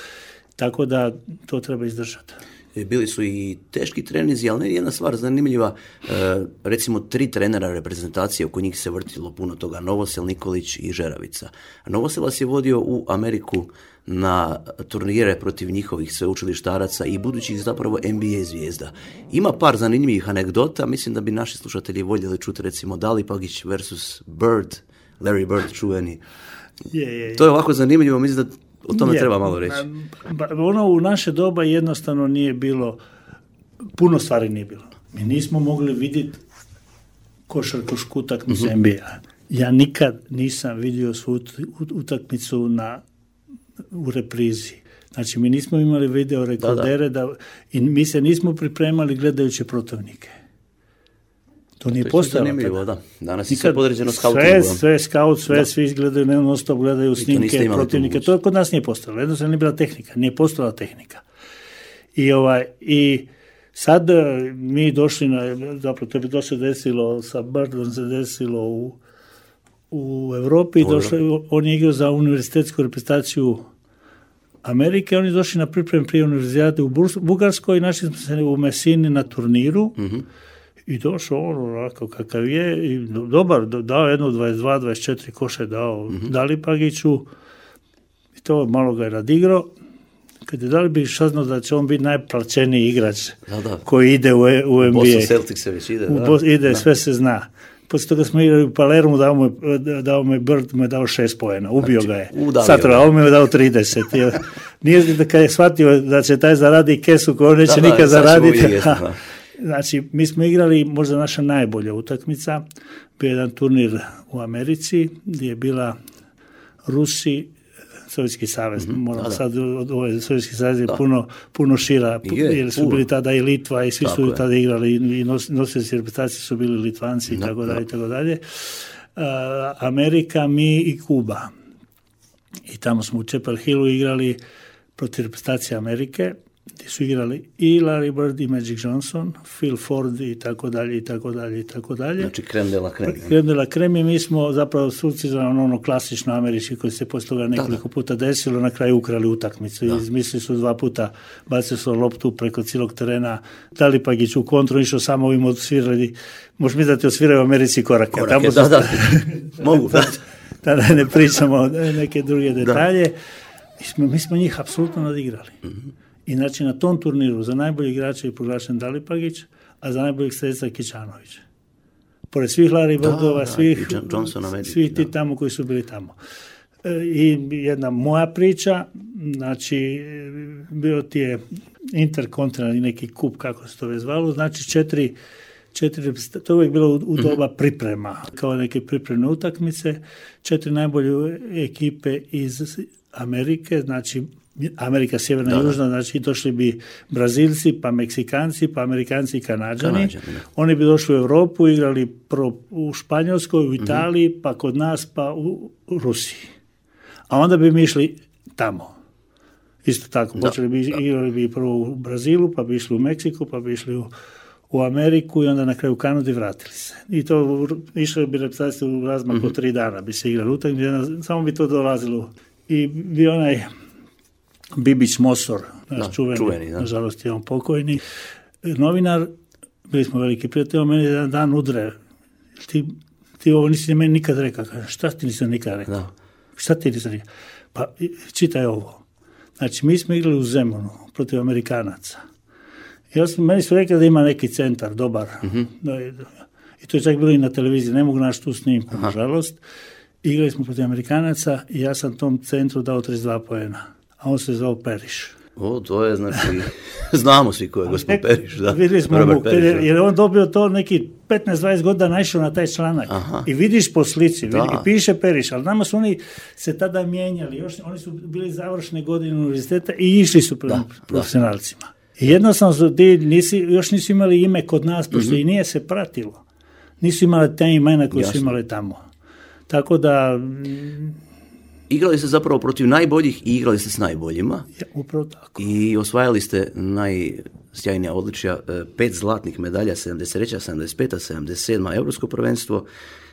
tako da to treba izdržati. Bili su i teški trenizi, ali ne jedna stvar zanimljiva, e, recimo tri trenera reprezentacije, oko njih se vrtilo puno toga, Novosel, Nikolić i Žeravica. Novosel vas je vodio u Ameriku na turnire protiv njihovih sveučilištaraca i budućih zapravo N B A zvijezda. Ima par zanimljivih anegdota, mislim da bi naši slušatelji voljeli čuti recimo Dalipagić versus Bird, Larry Bird čuveni. Je, je, je. To je ovako zanimljivo, mislim da o tome je, treba malo reći. Ono u naše doba jednostavno nije bilo, puno stvari nije bilo. Mi nismo mogli vidjeti košarkašku utakmicu mm-hmm. N B A. Ja nikad nisam vidio svu utakmicu na, u reprizi. Znači, mi nismo imali video rekordere da, da. Da, i mi se nismo pripremali gledajući protivnike. To nije postojalo tada. Da. Danas je sve podređeno Sve, skautingom. sve skaut, sve, da. Svi izgledaju, non stop gledaju snimke protivnike. To kod nas nije postojalo. Jednostavno nije bila tehnika. Nije postojala tehnika. I, ovaj, i sad mi došli na, zapravo to bi to se desilo, sa Birdom se desilo u, u Europi. U došli, on je igrao za univerzitetsku reprezentaciju Amerike. Oni došli na priprem prije univerzijade u Bugarskoj i našli smo se u Mesini na turniru. Mhm. I došao on onako kakav je, i dobar, dao jedno dvadeset dva dvadeset četiri koše dao mm-hmm. Dalipagiću, i to malo ga je radigrao. Kad je Dalipagić saznao da će on biti najplaćeniji igrač da, da. koji ide u, u N B A. Boston Celtics se već ide. Da. Ide, da. Sve se zna. Poslije toga smo igrali u Palermu, dao mu, dao mu Bird, mu je dao šest poena, ubio znači, ga je. Satra, on mu je dao trideset. Nije da kad je shvatio da će taj zaradi kesu koju on neće da, nikad da, zaraditi. Znači, mi smo igrali možda naša najbolja utakmica, bio jedan turnir u Americi gdje je bila Rusi, Sovjetski savez, mm-hmm, moram da, da. sad, ovaj Sovjetski savez je puno, puno šira, je, jer su puno. Bili tada i Litva i svi tako su je. Tada igrali i nos, nosioci reprezentacije su bili Litvanci i tako dalje i tako dalje. Amerika, mi i Kuba. I tamo smo u Chapel Hillu igrali protiv reprezentacije Amerike, gdje su igrali i Larry Bird i Magic Johnson, Phil Ford i tako dalje i tako dalje i tako dalje. Znači creme de la creme. Creme de la creme i mi smo zapravo suci za ono klasično američki koji se poslije toga nekoliko da, da. puta desilo, na kraju ukrali utakmicu. Da. Izmislili su dva puta, bacili su loptu preko cijelog terena, Dalipagić u kontru, išao samo ovim odsvirali, možeš misliti da ti odsviraju u Americi korake. Korake, tamo da, su, da. Mogu, da. Tada ne pričamo neke druge detalje. Mi smo, mi smo njih apsolutno nadigrali. Mm-hmm. I znači na tom turniru za najbolji igrača je proglašen Dalipagić, a za najboljeg strelca Kićanović. Pored svih Larry Birdova, svih, Johnsona, svih ti tamo koji su bili tamo. I jedna moja priča, znači bio ti je interkontinentalni neki kup, kako se to već zvalo, znači četiri, četiri, to je uvijek bilo u doba priprema, kao neke pripremne utakmice, četiri najbolje ekipe iz Amerike, znači Amerika sjeverna i južna, znači došli bi Brazilci, pa Meksikanci, pa Amerikanci i Kanađani. Kanađani Oni bi došli u Europu, igrali prvo u Španjolskoj, u Italiji, mm-hmm. pa kod nas, pa u Rusiji. A onda bi mi išli tamo. Isto tako, da, počeli bi, da. igrali bi prvo u Brazilu, pa bi išli u Meksiku, pa bi išli u, u Ameriku i onda na kraju u Kanadu i vratili se. I to išli bi reprezentacije u razmaku mm-hmm. tri dana, bi se igrali utakmice, samo bi to dolazilo. I bi onaj Bibić Mosor, naš da, čuveni, čuveni da. Nažalost je on pokojni, novinar, bili smo veliki prijatelji, meni jedan dan udre, ti, ti ovo nisi meni nikad rekao, kaže, šta ti nisam nikad rekao? Da. Šta ti nisam rekao? Pa čitaj ovo. Znači, mi smo igrali u Zemunu protiv Amerikanaca. Ja sam, meni su rekli da ima neki centar, dobar. Mm-hmm. Da, i to je čak bilo i na televiziji, ne mogu naći tu snimku, nažalost. Igrali smo protiv Amerikanaca i ja sam tom centru dao trideset dva poena. A on se zvao Periš. O, to je, znači, znamo svi ko je gospod Periš, da. Vidjeli smo mu, jer je on dobio to neki petnaest dvadeset godina naišao na taj članak. Aha. I vidiš po slici, vidi, i piše Periš, ali nama su oni se tada mijenjali, još, oni su bili završne godine univerziteta i išli su prema profesionalcima. Da. I jednostavno su ti, nisi, još nisu imali ime kod nas, pošto mm-hmm. i nije se pratilo. Nisu imali te imena koje Jasno. Su imali tamo. Tako da... Igrali ste zapravo protiv najboljih i igrali ste s najboljima. Ja, upravo tako. I osvajali ste najsjajnija odličja, pet zlatnih medalja, sedamdeset treća, sedamdeset peta, sedamdeset sedma Europsko prvenstvo,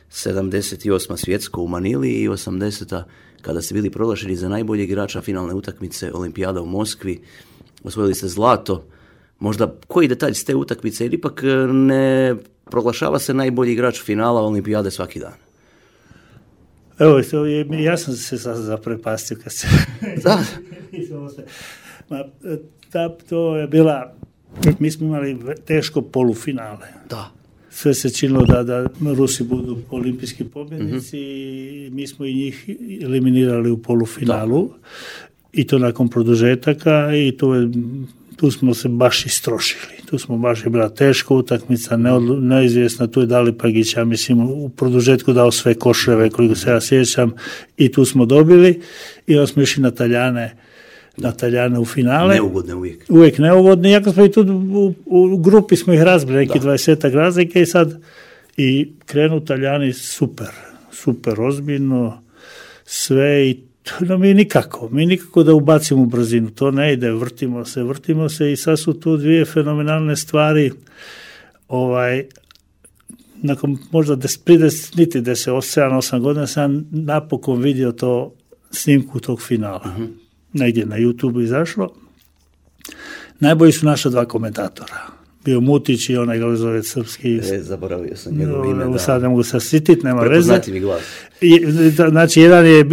sedamdeset osma svjetsko u Manili i osamdeseta kada ste bili proglašeni za najboljeg igrača finalne utakmice Olimpijada u Moskvi. Osvojili ste zlato. Možda koji detalj s te utakmice, jer ipak ne proglašava se najbolji igrač finala Olimpijade svaki dan. Evo, ja sam se sad zaprepastio kad se... Da. Ma, ta, to je bila... Mi smo imali teško polufinale. Da. Sve se činilo da, da Rusi budu olimpijski pobjednici mm-hmm. i mi smo i njih eliminirali u polufinalu. Da. I to nakon produžetaka i to je... Tu smo se baš istrošili. Tu smo baš je bila teška utakmica, neodlu, neizvjesna. Tu je Dalipagić, ja mislim, u produžetku dao sve koševe, koliko se ja sjećam, i tu smo dobili. I onda smo išli na Taljane, na Taljane u finale. Neugodne uvijek. Uvijek neugodne. Iako smo i tu u, u grupi smo ih razbili, neki dvadesetak razlike i sad i krenu Taljani super, super ozbiljno, sve i no mi nikako, mi nikako da ubacimo brzinu, to ne ide, vrtimo se, vrtimo se i sad su tu dvije fenomenalne stvari, ovaj, nakon možda deset, niti deset, sedam, osam godina sam napokon vidio to snimku tog finala, uh-huh. negdje na YouTube izašlo. Najbolji su naša dva komentatora. Bio Mutić i onaj Glezovec srpski. E, zaboravio sam njegovo ime. Da. Sad ne mogu se sititi, nema veze. Prepoznatljivi glas. I, znači, jedan je,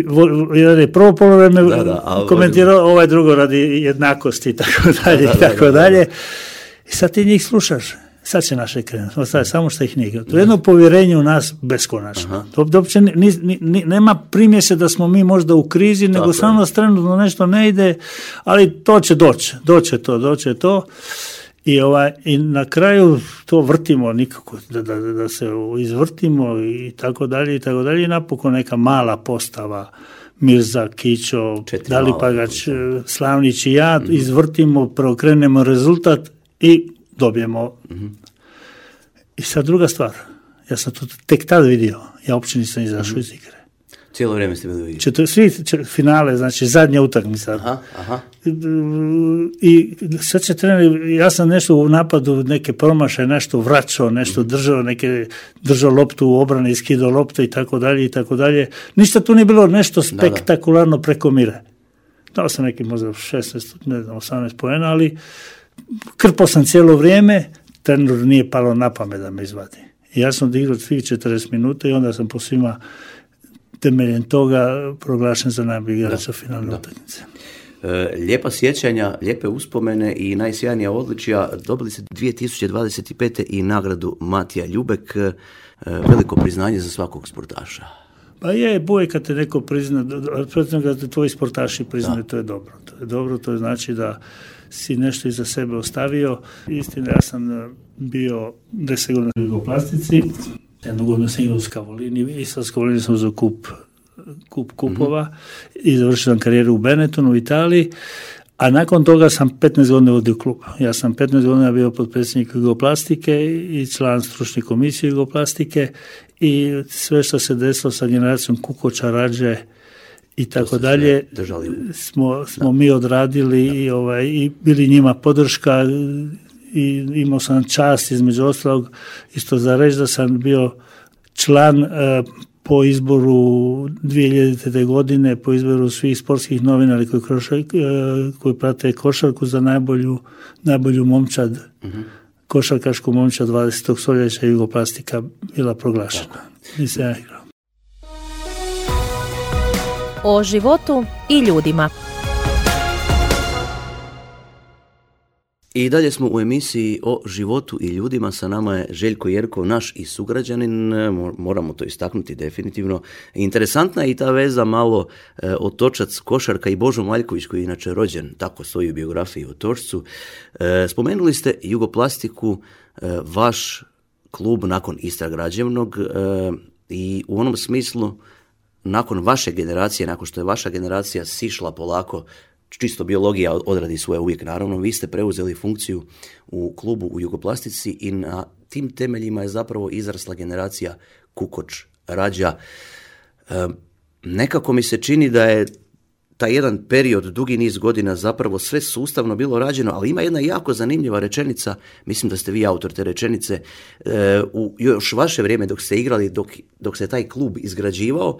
jedan je prvo polovreme da, da, komentirao, ali... ovaj drugo radi jednakosti i tako dalje, da, da, i tako da, da, dalje. I sad ti njih slušaš. Sad će naše krenuti. Ostaje samo što ih nije. To je jedno povjerenje u nas beskonačno. To, to uopće ni, ni, ni, nema primjese da smo mi možda u krizi, tako nego samo trenutno nešto ne ide, ali to će doći. Doće to, doće to. I, ovaj, i na kraju to vrtimo nikako, da, da, da se izvrtimo i tako dalje i tako dalje. I napokon neka mala postava Mirza, Kićo, Četiri Dalipagač, Slavnić i ja, mm-hmm. izvrtimo, preokrenemo rezultat i dobijemo. Mm-hmm. I sad druga stvar, ja sam to tek tad vidio, ja uopće nisam izašao mm-hmm. iz igre. Cijelo vrijeme ste bili u igri? Četir, svi čet, finale, znači zadnja utakmica. Aha, aha. I sad će trener, ja sam nešto u napadu, neke promašaje, nešto vraćao, nešto držao, neke držao loptu u obrani, skidao loptu i tako dalje i tako dalje. Ništa tu nije bilo nešto spektakularno da, da. preko mire. Dao sam neki možda šesnaest, ne znam, osamnaest poena, ali krpao sam cijelo vrijeme, trener nije palo na pamet da me izvadi. I ja sam odigrao svih četrdeset minuta i onda sam po svima temeljem toga proglašen za najbolji igrača finalne utakmice. E, lijepa sjećanja, lijepe uspomene i najsjajnija odličja. Dobili ste dvije tisuće dvadeset pete i nagradu Matija Ljubek. E, veliko priznanje za svakog sportaša. Pa je, boje kad te neko prizna, kad te tvoji sportaši priznaju, to je dobro. To je dobro, to znači da si nešto iza sebe ostavio. Istina, ja sam bio deset godina u jugoplastici, jednu godinu sam igrao u Skavolini i sa Skavolini sam uzeo kup, kup kupova mm-hmm. i završio sam karijeru u Benettonu u Italiji, a nakon toga sam petnaest godina vodio klub. Ja sam petnaest godina bio potpredsjednik jugoplastike i član stručne komisije jugoplastike i sve što se desilo sa generacijom Kukoča, Rađe i tako dalje smo, smo mi odradili i, ovaj, i bili njima podrška i imao sam čast između ostalog isto za reći da sam bio član uh, po izboru dvije hiljadite. godine, po izboru svih sportskih novinara koji, kroša, uh, koji prate košarku za najbolju, najbolju momčad, uh-huh. košarkašku momčad dvadesetog stoljeća Jugoplastika bila proglašena. Nisam ja igrao. O životu i ljudima. I dalje smo u emisiji o životu i ljudima. Sa nama je Željko Jerkov, naš i sugrađanin, moramo to istaknuti definitivno. Interesantna je i ta veza malo e, Otočac, košarka i Božo Maljković koji je inače rođen, tako stoji u biografiji o Otočcu. E, spomenuli ste Jugoplastiku, e, vaš klub nakon Istra Građevnog e, i u onom smislu nakon vaše generacije, nakon što je vaša generacija sišla polako, čisto biologija odradi svoje uvijek, naravno, vi ste preuzeli funkciju u klubu u Jugoplastici i na tim temeljima je zapravo izrasla generacija Kukoč, Rađa. E, nekako mi se čini da je taj jedan period, dugi niz godina, zapravo sve sustavno bilo rađeno, ali ima jedna jako zanimljiva rečenica, mislim da ste vi autor te rečenice, e, u još vaše vrijeme dok ste igrali, dok, dok se taj klub izgrađivao,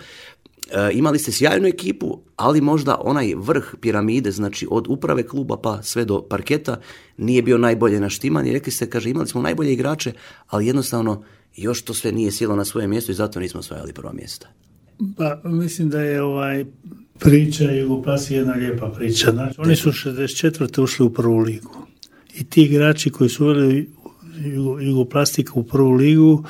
E, imali ste sjajnu ekipu, ali možda onaj vrh piramide, znači od uprave kluba pa sve do parketa, nije bio najbolje naštiman i rekli ste, kaže, imali smo najbolje igrače, ali jednostavno još to sve nije sjelo na svoje mjesto i zato nismo osvajali prva mjesta. Pa mislim da je ovaj priča Jugoplastike jedna lijepa priča. Znači, oni su šezdeset četvrte ušli u prvu ligu i ti igrači koji su uveli Jugoplastiku u prvu ligu,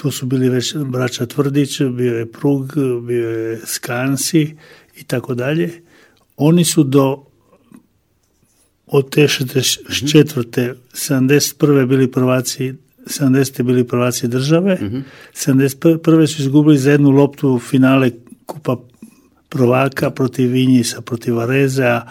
to su bili već braća Tvrdić, bio je Prug, bio je Skansi i tako dalje. Oni su do od te šezdeset četvrte sedamdeset prve bili prvaci, sedamdesete bili prvaci države, mm-hmm. sedamdeset prve su izgubili za jednu loptu finale kupa prvaka protiv Vinjisa, protiv Varezea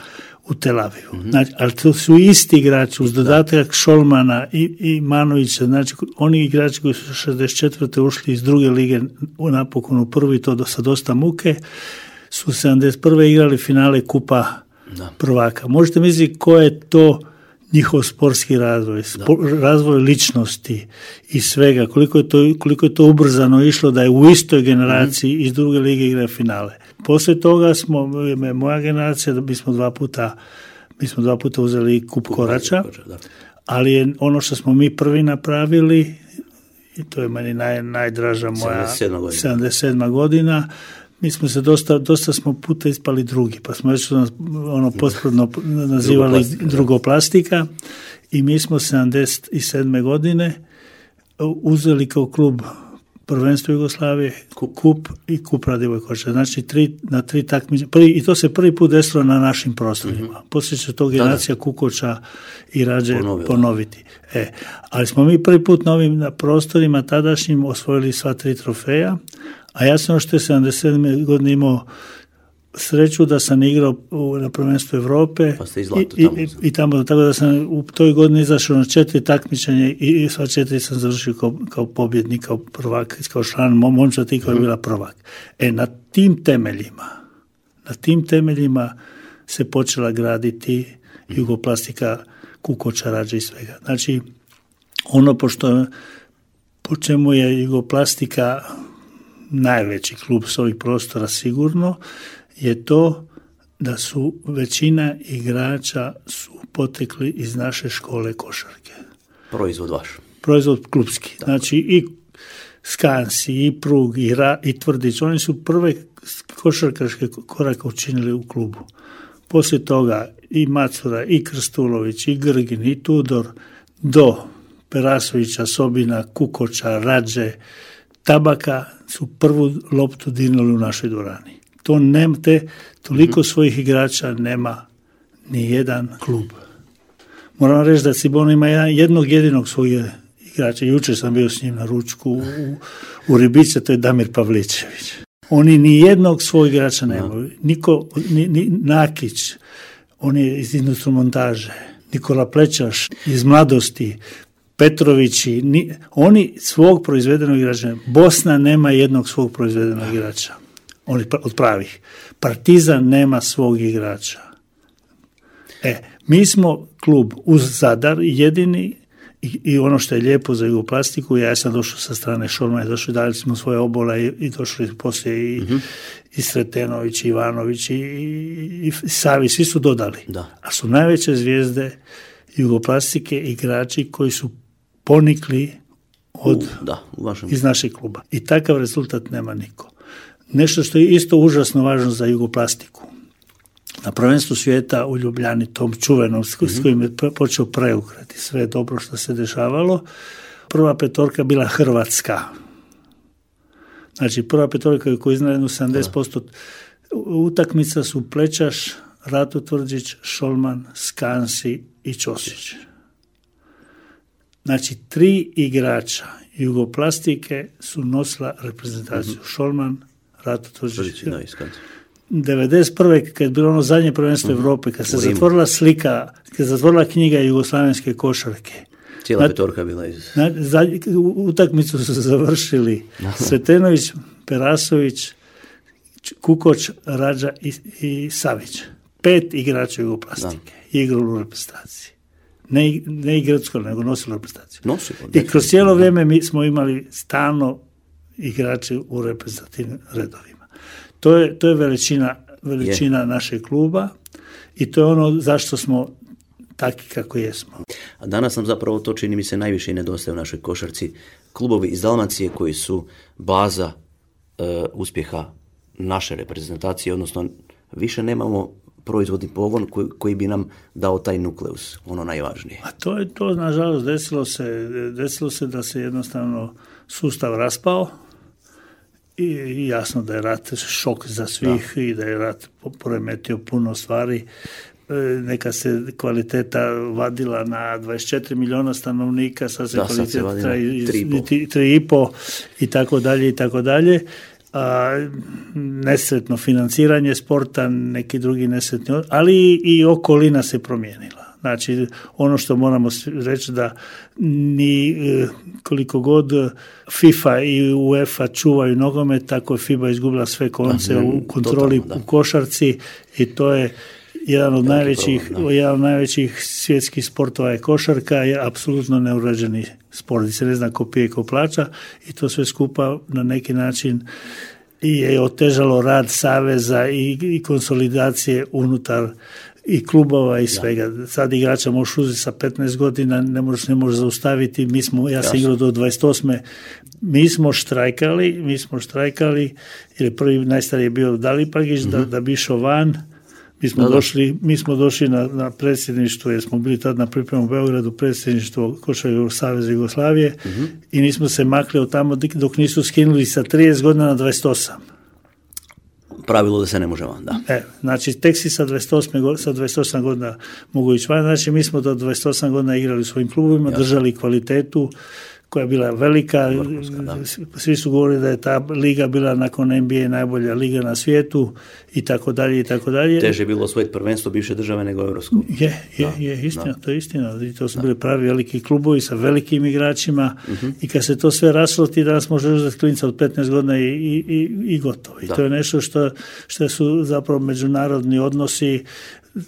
u Tel Avivu. Mm-hmm. Znači, ali to su isti igrači uz dodatak Šolmana i, i Manovića, znači oni igrači koji su šezdeset četvrte ušli iz druge lige napokon u prvi, to do, sa dosta muke, su sedamdeset prve igrali finale kupa da. prvaka. Možete misliti ko je to njihov sportski razvoj, spor, razvoj ličnosti i svega, koliko je, to, koliko je to ubrzano išlo da je u istoj generaciji mm-hmm. iz druge lige igra finale. Poslije toga smo, moja generacija, da bismo dva puta, mi smo dva puta uzeli kup Korača, ali je ono što smo mi prvi napravili, i to je meni naj, najdraža moja sedamdeset sedma godina, mi smo se dosta, dosta smo puta ispali drugi, pa smo već ono pospredno nazivali drugoplastika. drugoplastika i mi smo sedamdeset sedme godine uzeli kao klub prvenstvo Jugoslavije, kup, kup i kup Radivoje Koča. Znači tri, na tri takmice. I to se prvi put desilo na našim prostorima. Mm-hmm. Poslije će to generacija Kukoča i Rađe Ponovila. ponoviti. E, ali smo mi prvi put na ovim na prostorima tadašnjim osvojili sva tri trofeja, a ja sam što je sedamdeset sedme godine imao sreću da sam igrao u, na prvenstvu Europe pa ste i, zlato i, tamo. i, i tamo, tako da sam u toj godini izašao na četiri takmičenja i, i sva četiri sam završio kao, kao pobjednik, kao prvak, kao član momčad i koja je bila prvak. E, na tim temeljima, na tim temeljima se počela graditi Jugoplastika, Kukoča, Rađe i svega. Znači, ono pošto, po čemu je Jugoplastika najveći klub s ovih prostora sigurno, je to da su većina igrača su potekli iz naše škole košarke. Proizvod vaš. Proizvod klubski. Tako. Znači i Skansi, i Prug, i, Ra, i Tvrdić, oni su prve košarkaške korake učinili u klubu. Poslije toga i Macura, i Krstulović, i Grgin, i Tudor, do Perasovića, Sobina, Kukoča, Rađe, Tabaka su prvu loptu dirnuli u našoj dvorani. To nema, te, toliko mm-hmm. svojih igrača nema ni jedan klub. Moram reći da Cibona ima jednog jedinog svog igrača. Jučer sam bio s njim na ručku u, u Ribice, to je Damir Pavličević. Oni ni jednog svog igrača nemaju. Niko, ni, ni Nakić, on je iz instrumontaže, Nikola Plečaš iz mladosti, Petrovići, ni, oni svog proizvedenog igrača. Bosna nema jednog svog proizvedenog igrača. Oni od pravih. Partizan nema svog igrača. E, mi smo klub uz Zadar jedini i, i ono što je lijepo za Jugoplastiku, ja sam došao sa strane Šolmana, došli, dali smo svoje obola i, i došli poslije i, mm-hmm. i Sretenović, i Ivanović, i, i, i Savi, svi su dodali. Da. A su najveće zvijezde Jugoplastike igrači koji su ponikli od, u, da, u vašem... iz našeg kluba. I takav rezultat nema niko. Nešto što je isto užasno važno za Jugoplastiku. Na prvenstvu svijeta u Ljubljani, tom čuvenom, mm-hmm. s kojim je počeo preokret i sve dobro što se dešavalo, prva petorka bila Hrvatska. Znači, prva petorka koja je iznala sedamdeset posto utakmica su Plečaš, Rato Tvrđić, Šolman, Skansi i Ćosić. Znači, tri igrača Jugoplastike su nosila reprezentaciju. Mm-hmm. Šolman, Rato Tvrđić. devedeset prve kad je bilo ono zadnje prvenstvo mm-hmm. Europe, kad se zatvorila slika, kad se zatvorila knjiga jugoslavenske košarke. Cijela petorka bila iz... Na, za, utakmicu su završili Sretenović, Perasović, Kukoč, Rađa i, i Savić. Pet igrača Jugoplastike igrali u reprezentaciji. Ne, ne igracko, nego nosilo reprezentaciju. Nosilo, I kroz cijelo vrijeme mi smo imali stalno igrače u reprezentativnim redovima. To je, to je veličina, veličina je. našeg kluba i to je ono zašto smo taki kako jesmo. A danas nam zapravo to čini mi se najviše i nedostaje u našoj košarci. Klubovi iz Dalmacije koji su baza e, uspjeha naše reprezentacije, odnosno više nemamo proizvodni pogon koji, koji bi nam dao taj nukleus, ono najvažnije. A to je to, nažalost, desilo se, desilo se da se jednostavno sustav raspao i jasno da je rat šok za svih da. i da je rat poremetio puno stvari. Neka se kvaliteta vadila na dvadeset četiri milijuna stanovnika, sad se da, kvaliteta tri i pol i tako dalje i tako dalje. A, nesretno financiranje sporta, neki drugi nesretni, ali i okolina se promijenila. Znači, ono što moramo reći da ni koliko god FIFA i UEFA čuvaju nogomet, tako je FIBA izgubila sve konce u kontroli totalno, u košarci i to je jedan od najvećih, jedan od najvećih svjetskih sportova je košarka, je apsolutno neurađeni sport, se ne zna ko pije, ko plaća i to sve skupa na neki način je otežalo rad saveza i, i konsolidacije unutar i klubova i svega. Da. Sad igrača možeš uzeti sa petnaest godina, ne možeš, ne možeš zaustaviti. Mi smo, ja sam igrao do dvadeset osme Mi smo štrajkali, mi smo štrajkali, jer prvi najstariji je bio Dalipagić, mm-hmm. da, da bi išao van. Mi smo, da, došli, mi smo došli na, na predsjedništvo, jer smo bili tad na pripremu u Beogradu, predsjedništvo Košarkaškog saveza Jugoslavije mm-hmm. i nismo se makli od tamo dok nisu skinuli sa trideset godina na dvadeset osam Pravilo da se ne može van, da. E, znači, tek si sa dvadeset osam sa dvadeset osam godina mogu ići van. Znači, mi smo do dvadeset osam godina igrali u svojim klubovima, jasno. Držali kvalitetu koja je bila velika, da. Svi su govorili da je ta liga bila nakon N B A najbolja liga na svijetu i tako dalje i tako dalje. Teže je bilo osvojiti prvenstvo bivše države nego Europsku. Je, je, da, je, istina, da. To je istina. I to su da. bili pravi veliki klubovi sa velikim igračima uh-huh. i kad se to sve raslo, ti danas možeš uzeti klinca od petnaest godina i, i, i, i gotovo. I da. to je nešto što, što su zapravo međunarodni odnosi,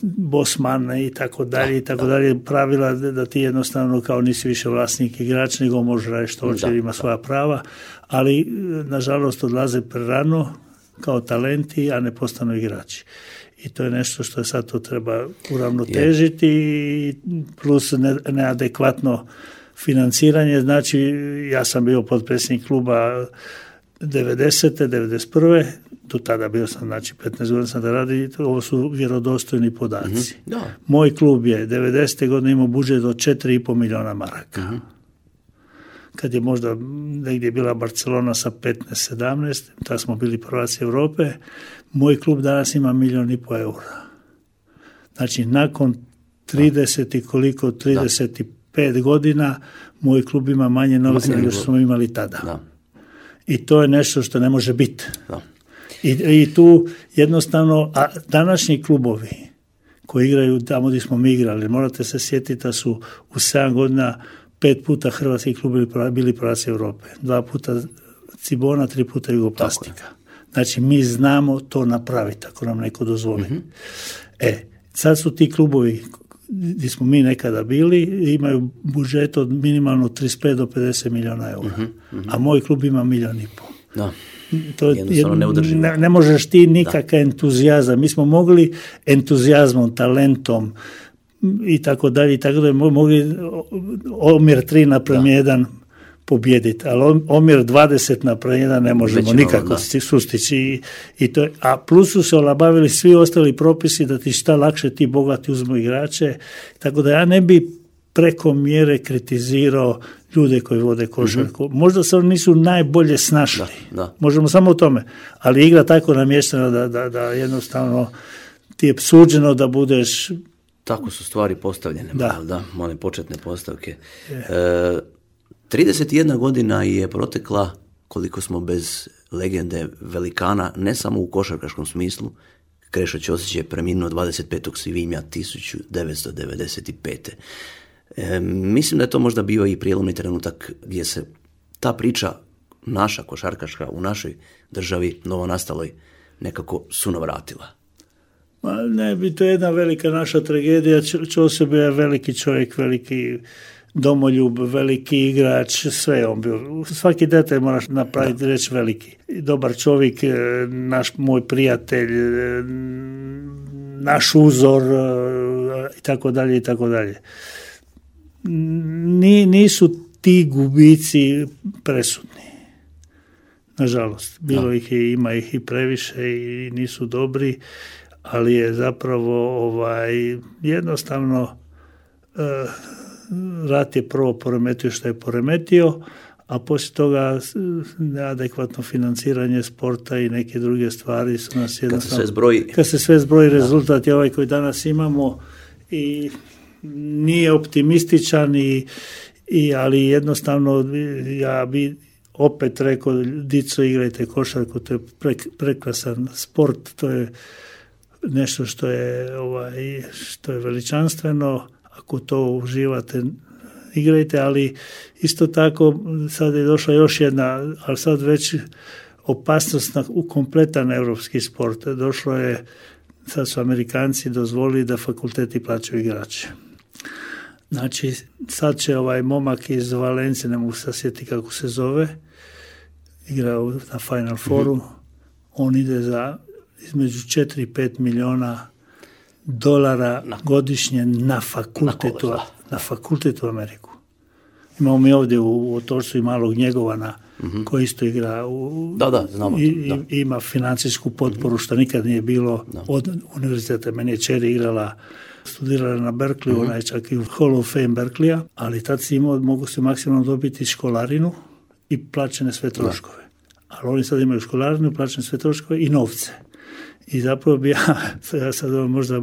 Bosman i tako dalje i tako dalje, pravila da ti jednostavno kao nisi više vlasnik igrač, nego može raditi što hoće, ima svoja prava, ali nažalost odlaze prerano kao talenti, a ne postanu igrači. I to je nešto što sad to treba uravnotežiti i plus neadekvatno financiranje. Znači, ja sam bio potpredsjednik kluba devedesete, devedeset prve do tada bio sam, znači petnaest godina sam da radi, ovo su vjerodostojni podaci. Mm-hmm. Da. Moj klub je devedesete godine imao budžet od četiri i pol milijuna maraka. Mm-hmm. Kad je možda negdje bila Barcelona sa petnaest sedamnaest, tada smo bili prvaci Europe, moj klub danas ima milijun i pol eura. Znači, nakon trideset i koliko, trideset pet da. godina, moj klub ima manje novca nego što smo imali tada. Da. I to je nešto što ne može biti. Da. I, I tu jednostavno, a današnji klubovi koji igraju tamo gdje smo mi igrali, morate se sjetiti da su u sedam godina pet puta hrvatski klubovi bili prvaci Europe, dva puta Cibona, tri puta Jugoplastika. Znači mi znamo to napraviti ako nam neko dozvoli. Mm-hmm. E, sad su ti klubovi gdje smo mi nekada bili, imaju budžet od minimalno trideset pet do pedeset milijuna eura, mm-hmm, mm-hmm. a moj klub ima milijun i pol. Da. To je, ne, ne možeš ti nikakav entuzijazam. Mi smo mogli entuzijazmom, talentom i tako dalje i tako dalje mogli omjer tri naprema jedan pobijediti, ali omjer dvadeset naprema jedan ne možemo Već nikako da. sustići. I, i to, a plus su se olabavili svi ostali propisi da ti šta lakše ti bogati uzmu igrače, tako da ja ne bi preko mjere kritizirao ljude koji vode košarku. Mm-hmm. Možda se oni nisu najbolje snašli. Da, da. Možemo samo o tome. Ali igra tako namještena da, da, da jednostavno ti je suđeno da budeš... Tako su stvari postavljene. Da. Da, one početne postavke. E, trideset jedna godina je protekla koliko smo bez legende velikana, ne samo u košarkaškom smislu. Krešo Ćosić je preminuo dvadeset petog svibnja tisuću devetsto devedeset pete. E, mislim da je to možda bio i prijelomni trenutak gdje se ta priča naša košarkaška u našoj državi novonastaloj nekako sunovratila. Ma ne bi, to je jedna velika naša tragedija. Ćosić je veliki čovjek, veliki domoljub, veliki igrač, sve on bio. Svaki detalj moraš napraviti, da. reći veliki. Dobar čovjek, naš moj prijatelj, naš uzor i tako dalje i tako dalje. Nisu ti gubici presudni. Nažalost, bilo da. ih je, ima ih i previše i nisu dobri, ali je zapravo ovaj jednostavno uh, rat je prvo poremetio što je poremetio, a poslije toga neadekvatno financiranje sporta i neke druge stvari su nas jednostavno... Kad se sve zbroji, kad se sve zbroji rezultat je ovaj koji danas imamo i nije optimističan, i, i, ali jednostavno ja bi opet rekao, dico, igrajte košarku, to je pre, prekrasan sport, to je nešto što je, ovaj, što je veličanstveno, ako to uživate, igrajte, ali isto tako sad je došla još jedna, ali sad već opasnost na, u kompletan europski sport. Došlo je, sad su Amerikanci dozvolili da fakulteti plaćaju igrače. Znači, sad će ovaj momak iz Valencije, ne mogu se sjetiti kako se zove, igrao na Final Fouru, mm-hmm. on ide za između četiri i pet milijuna dolara na, godišnje na fakultetu, na, na fakultetu u Ameriku. Imamo mi ovdje u, u Otočcu i malog Njegovana, mm-hmm. koji isto igra u, da, da, znamo, i, da. i ima financijsku potporu, mm-hmm. što nikad nije bilo da. od univerziteta. Meni je čeri igrala, studirala na Berkeley, mm-hmm. ona je čak i u Hall of Fame Berkeleya, ali tad si imao, mogu se maksimalno dobiti školarinu i plaćene sve troškove. Da. Ali oni sad imaju školarinu, plaćene sve troškove i novce. I zapravo bi ja, ja sad možda,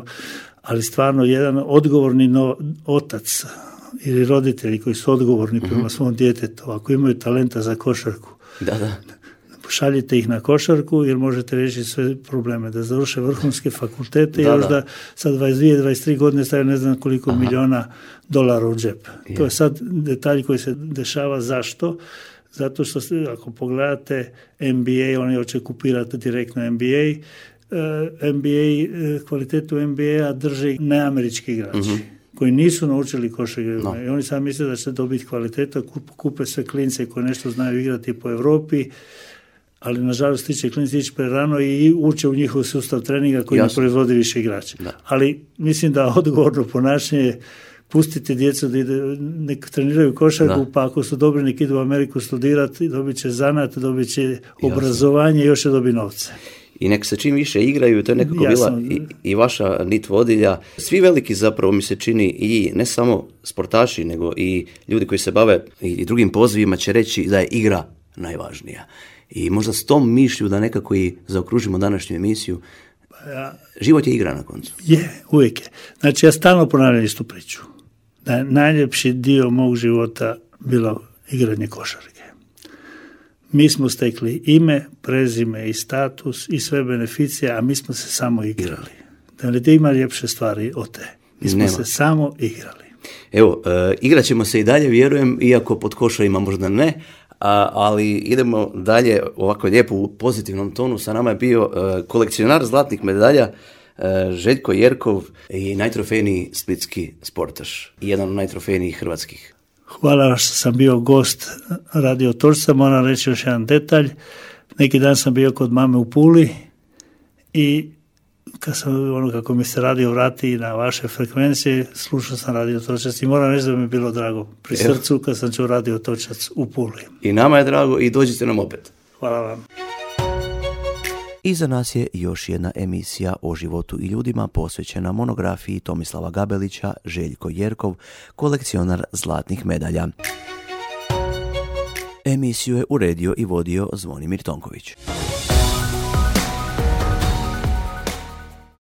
ali stvarno jedan odgovorni no, otac ili roditelji koji su odgovorni prema mm-hmm. svom djetetu, ako imaju talenta za košarku, da, da. šaljite ih na košarku jer možete riješiti sve probleme, da završe vrhunske fakultete i još da sa dvadeset dvije dvadeset tri godine stavio ne znam koliko Aha. milijuna dolara u džep. Je. To je sad detalj koji se dešava. Zašto? Zato što ako pogledate N B A, oni hoće kupirati direktno N B A, N B A, kvalitetu N B A drže neamerički igrači. Mm-hmm. koji nisu naučili košarku no. i oni sad misle da će dobiti kvalitetu, kupe sve klince koji nešto znaju igrati po Europi, ali nažalost tiče klinci ići prerano i uče u njihov sustav treninga koji Jasne. ne proizvodi više igrača. Da. Ali mislim da odgovorno ponašanje pustite djecu da ide, nek treniraju košarku, da. pa ako su dobri nek idu u Ameriku studirati, dobit će zanat, dobit će obrazovanje i još će dobiti novce. I nek se čim više igraju, to je nekako Jasno. bila i, i vaša nit vodilja. Svi veliki zapravo mi se čini i ne samo sportaši, nego i ljudi koji se bave i, i drugim pozivima će reći da je igra najvažnija. I možda s tom mišlju da nekako i zaokružimo današnju emisiju, ja, život je igra na koncu. Je, uvijek je. Znači ja stalno ponavljam istu priču. Da je najljepši dio mog života bilo igranje košarke. Mi smo stekli ime, prezime i status i sve beneficije, a mi smo se samo igrali. Da li ti ima ljepše stvari od te? Mi smo Nema. se samo igrali. Evo, e, igrat ćemo se i dalje, vjerujem, iako pod košarima možda ne, a, ali idemo dalje ovako lijepo u pozitivnom tonu. Sa nama je bio e, kolekcionar zlatnih medalja, e, Željko Jerkov i najtrofejniji splitski sportaš i jedan od najtrofejnijih hrvatskih. Hvala što sam bio gost Radio Točca. Moram reći još jedan detalj. Neki dan sam bio kod mame u Puli i kad sam, ono, kako mi se radio vrati na vaše frekvencije, slušao sam Radio Točac i moram reći da mi je bilo drago pri Evo. srcu kad sam čuo Radio Točac u Puli. I nama je drago i dođite nam opet. Hvala vam. Iza nas je još jedna emisija o životu i ljudima posvećena monografiji Tomislava Gabelića, Željko Jerkov, kolekcionar zlatnih medalja. Emisiju je uredio i vodio Zvonimir Tonković.